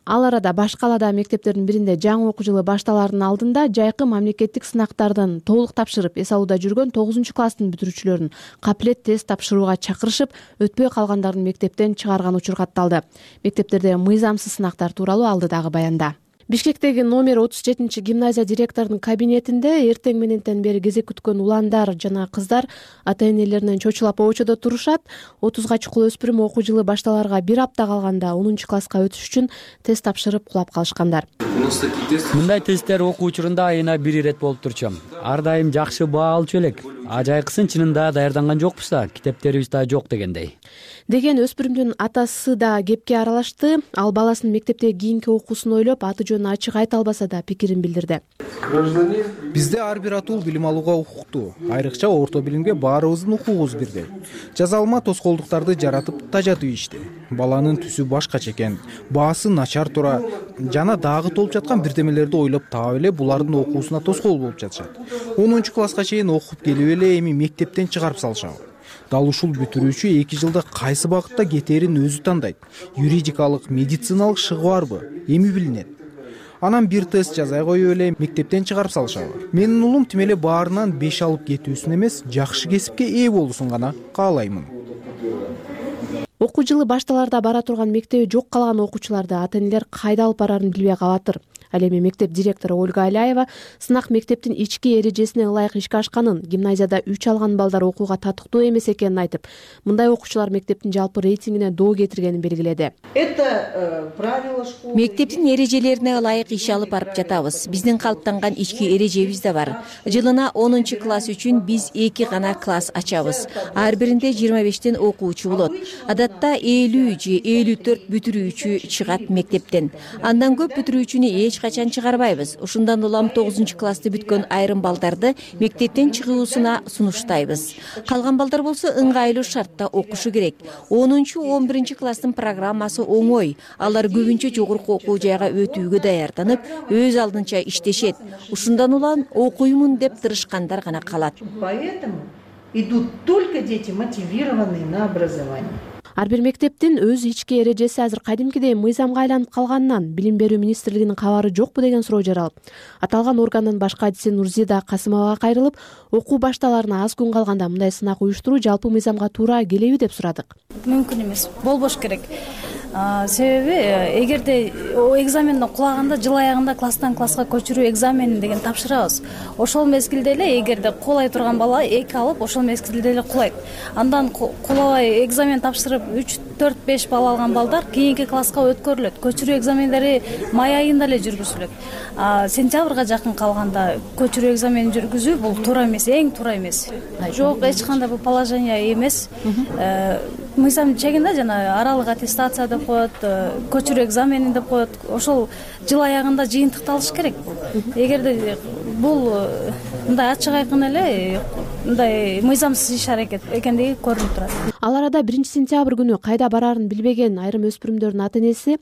Ал арада баш каладагы мектептердин биринде жаңы окуу жылы башталаардын алдында жайкы мамлекеттик сынактардын толук тапшырып, эс алууда жүргөн тогузунчу класстын бүтүрүүчүлөрүн капилет тест тапшырууга чакырышып, өтпөй калгандарын мектептен чыгарган учур катталды. Мектептерде мыйзамсыз сынактар тууралуу алдыдагы баянда. Бишкектеги номер отуз жетинчи гимназия директорунун кабинетинде эртең мененден бери кезек күткөн уландар жана кыздар ата-энелеринен чочулап обочодо турушат. отузга чукул өспүрүм окуу жылы башталарга бир апта калганда онунчу класска өтүш үчүн тест тапшырып кулап калышкандар. Мындай тесттер окуу учурунда айына бир ирет болуп турчам. Ар дайым жакшы баа алчу элек. А жайкысын чынында даярданган жокпуз да, китептерибиз да жок дегендей. Деген өспүрүмдүн атасы да кепке аралашты. Ал баласынын мектепте кийинки окуусун ойлоп, аты жөнүн ачык айта албаса да пикирин билдирди. Бизде ар бир атуу билим алууга укуктуу. Айрыкча орто билимге баарыбыздын укугубуз бирдей. Жазалма тоскоолдуктарды жаратып тажатуу ишти. Баланын түсү башкача экен, баасы начар тура жана дагы толуп жаткан бирдемелерди ойлоп таап эле булардын окуусуна тоскоол болуп жатышат. онунчу класска чейин окуп келип эле эми мектептен чыгарып салышабы. Дал ушул бүтүрүүчү эки жылда кайсы багытта кетээрин өзү тандайт. Юридикалык, медициналык шыгы барбы? Эми билинет. Анан бир тест жазай коюп эле мектептен чыгарып салышабы. Менин улум тим эле баарынан беш алып кетүүсүн эмес, жакшы кесипке ээ болуусун гана каалаймын. Окуу жылы башталарда бара турган мектеби жок калган окуучуларды ата-энелер кайда алып барарын билбей калатыр. Ал эми мектеп директору Ольга Аляева сынак мектептин ички эрежесине ылайык ишке ашканын, гимназияда үч алган балдар окууга татыктуу эмес экенин айтып, мындай окуучулар мектептин жалпы рейтингине доо кетиргенин белгиледи. Мектептин эрежелерине ылайык иш алып барып жатабыз. Биздин калыптанган ички эрежебиз да бар. Жылына онунчу класс үчүн биз эки гана класс ачабыз. Ар биринде жыйырма бештен окуучу болот. Адатта элүү же элүү төрт бүтүрүүчү чыгат мектептен. Андан көп бүтүрүүчүнү эч качан чыгарбайбыз. Ушундан улам тогузунчу классты бүткөн айрым балдарды мектептен чыгуусуна сунуштайбыз. Калган балдар болсо ыңгайлуу шартта окушу керек. онунчу он биринчи класстын программасы оңой. Алар көбүнчө жогорку окуу жайга өтүүгө даярданып, өз алдынча иштешет. Ушундан улам окуймун деп тырышкандар гана калат. Поэтому идут только дети, мотивированные на образование. Ар бир мектептин өз ички эрежеси азыр кадимкидей мыйзамга айланып калганынан Билим берүү министрлигинин кабары жокпу деген суроо жаралып, аталган органдын баш кадиси Нурзида Касымовага кайрылып, окуу башталарына аз күн калганда мындай сынак уюштуруу жалпы мыйзамга туура келеби деп сурадык. Мүмкүн эмес, болбош керек. Себеби эгерде экзаменден кулаганда жыл аягында класстан класска көчүрүү экзаменин деген тапшырабыз. Ошол мезгилде эле эгерде кулай турган бала эки алып, ошол мезгилде эле кулайт. Андан кулабай экзамен тапшырып үч төрт беш балл алган балдар кийинки класска өткөрүлөт. Көчүрүү экзамендери май айында эле жүргүзүлөт. Сентябрга жакын калганда көчүрүү экзаменин жүргүзүү бул туура эмес, эң туура эмес. Жок, эч кандай бул положение эмес. Мыйзам чегинде жана аралык аттестация деп коет, көчүрүү экзаменин деп коет. Ошол жыл аягында жыйынтыкталыш керек. Эгерде бул мындай ачык айкын эле мындай мыйзамсыз иш аракет экендиги көрүнүп турат. Ал арада биринчи сентябрь күнү кайда барарын билбеген айрым өспүрүмдөрдүн ата-энеси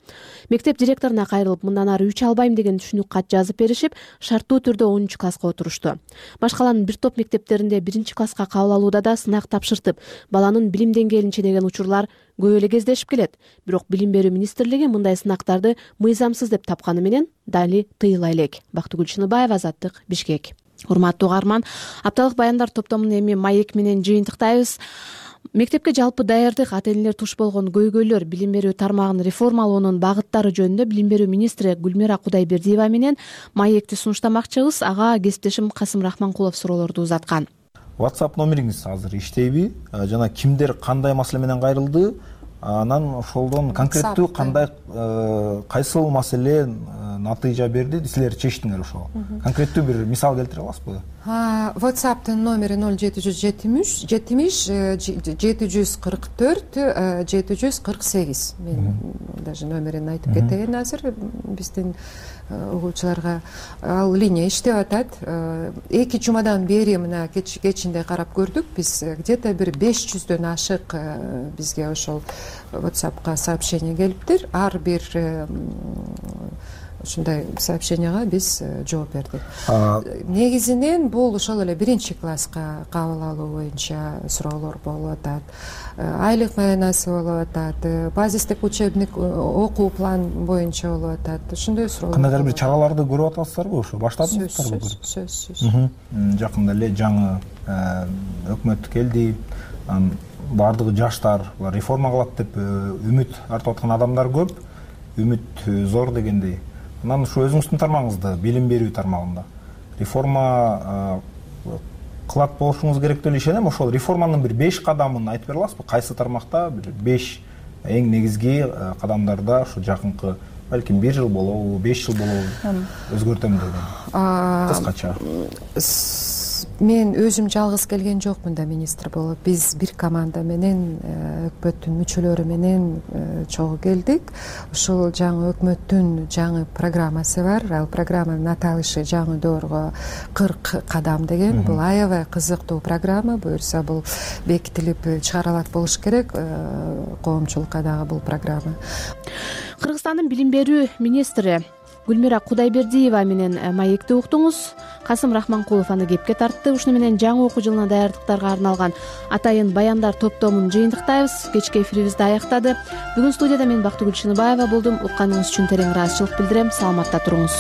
мектеп директоруна кайрылып, мындан ары үч албайм деген түшүнүк кат жазып беришип, шарттуу түрдө онунчу класска отурушту. Башкаланын бир топ мектептеринде биринчи класска кабыл алууда да сынак тапшыртып, баланын билим деңгээлин ченеген учурлар көп эле кездешип келет. Бирок Билим берүү министрлиги мындай сынактарды мыйзамсыз деп тапканы менен дали тыйыла элек. Бактыгүл Чыныбаева, Азаттык, Бишкек. Урматтуу угарман, апталык баяндар топтомун эми маек менен жыйынтыктайбыз. Мектепке жалпы даярдык, ата-энелер туш болгон көйгөйлөр, билим берүү тармагын реформалоонун багыттары жөнүндө Билим берүү министри Гүлмира Кудайбердиева менен маекти сунуштамакчыбыз. Ага кесиптешим Касым Рахманкулов суроолорду узаткан. WhatsApp номериңиз азыр иштейби? Жана кимдер кандай маселе менен кайрылды? Анан ошолдон конкреттүү кандай кайсыл маселе натыйжа берди, силер чечтиңер ошол. Конкреттүү бир мисал келтире аласызбы? WhatsApp'тын номери ноль жети жүз жетимиш жети жүз кырк төрт жети жүз кырк сегиз. Мен даже номерин айтып кетейин азыр биздин угуучуларга. Ал линия иштеп атат. Эки жумадан бери мына кечинде карап көрдүк. Биз где-то бир беш жүздөн ашык бизге ошол WhatsAppка сообщение келиптир. Ар бир ушундай сообщенияга биз жооп бердик. Негизинен бул ошол эле биринчи класска кабыл алуу боюнча суроолор болуп атат. Айлык маянасы болуп атат, базистик учебник окуу план боюнча болуп атат. Ушундай суроолор. Кандайдыр бир чараларды көрүп атасыздарбы ошо? Баштадыңыздарбы көрүп? Сөзсүз. Жакында эле жаңы өкмөт келди. Бардыгы жаштар реформа кылат деп үмүт артып аткан адамдар көп. Үмүт зор дегендей. Анан ушу өзүңүздүн тармагыңызда, билим берүү тармагында реформа кылат болушуңуз керек деп ишенем. Ошол реформанын бир беш кадамын айтып бере аласызбы? Кайсы тармакта бир беш эң негизги кадамдарда ушу жакынкы балким бир жыл болобу, беш жыл болобу өзгөртөм деген кыскача. Мен өзүм жалгыз келген жокмун да министр болуп. Биз бир команда менен өкмөттүн мүчөлөрү менен чогуу келдик. Ушул жаңы өкмөттүн жаңы программасы бар. Ал программанын аталышы жаңы доорго кырк кадам деген. Бул аябай кызыктуу программа. Буюрса бул бекитилип чыгарылат болуш керек. Коомчулукка дагы бул программа. Кыргызстандын билим берүү министри Гүлмира Кудайбердиева менен маекти уктуңуз. Касым Рахманкулов аны кепке тартты. Ушуну менен жаңы окуу жылына даярдыктарга арналган атайын баяндар топтомун жыйынтыктайбыз. Кечки эфирибизди аяктады. Бүгүн студияда мен Бактыгүл Чыныбаева болдум. Укканыңыз үчүн терең ыраазычылык билдирем. Саламатта туруңуз.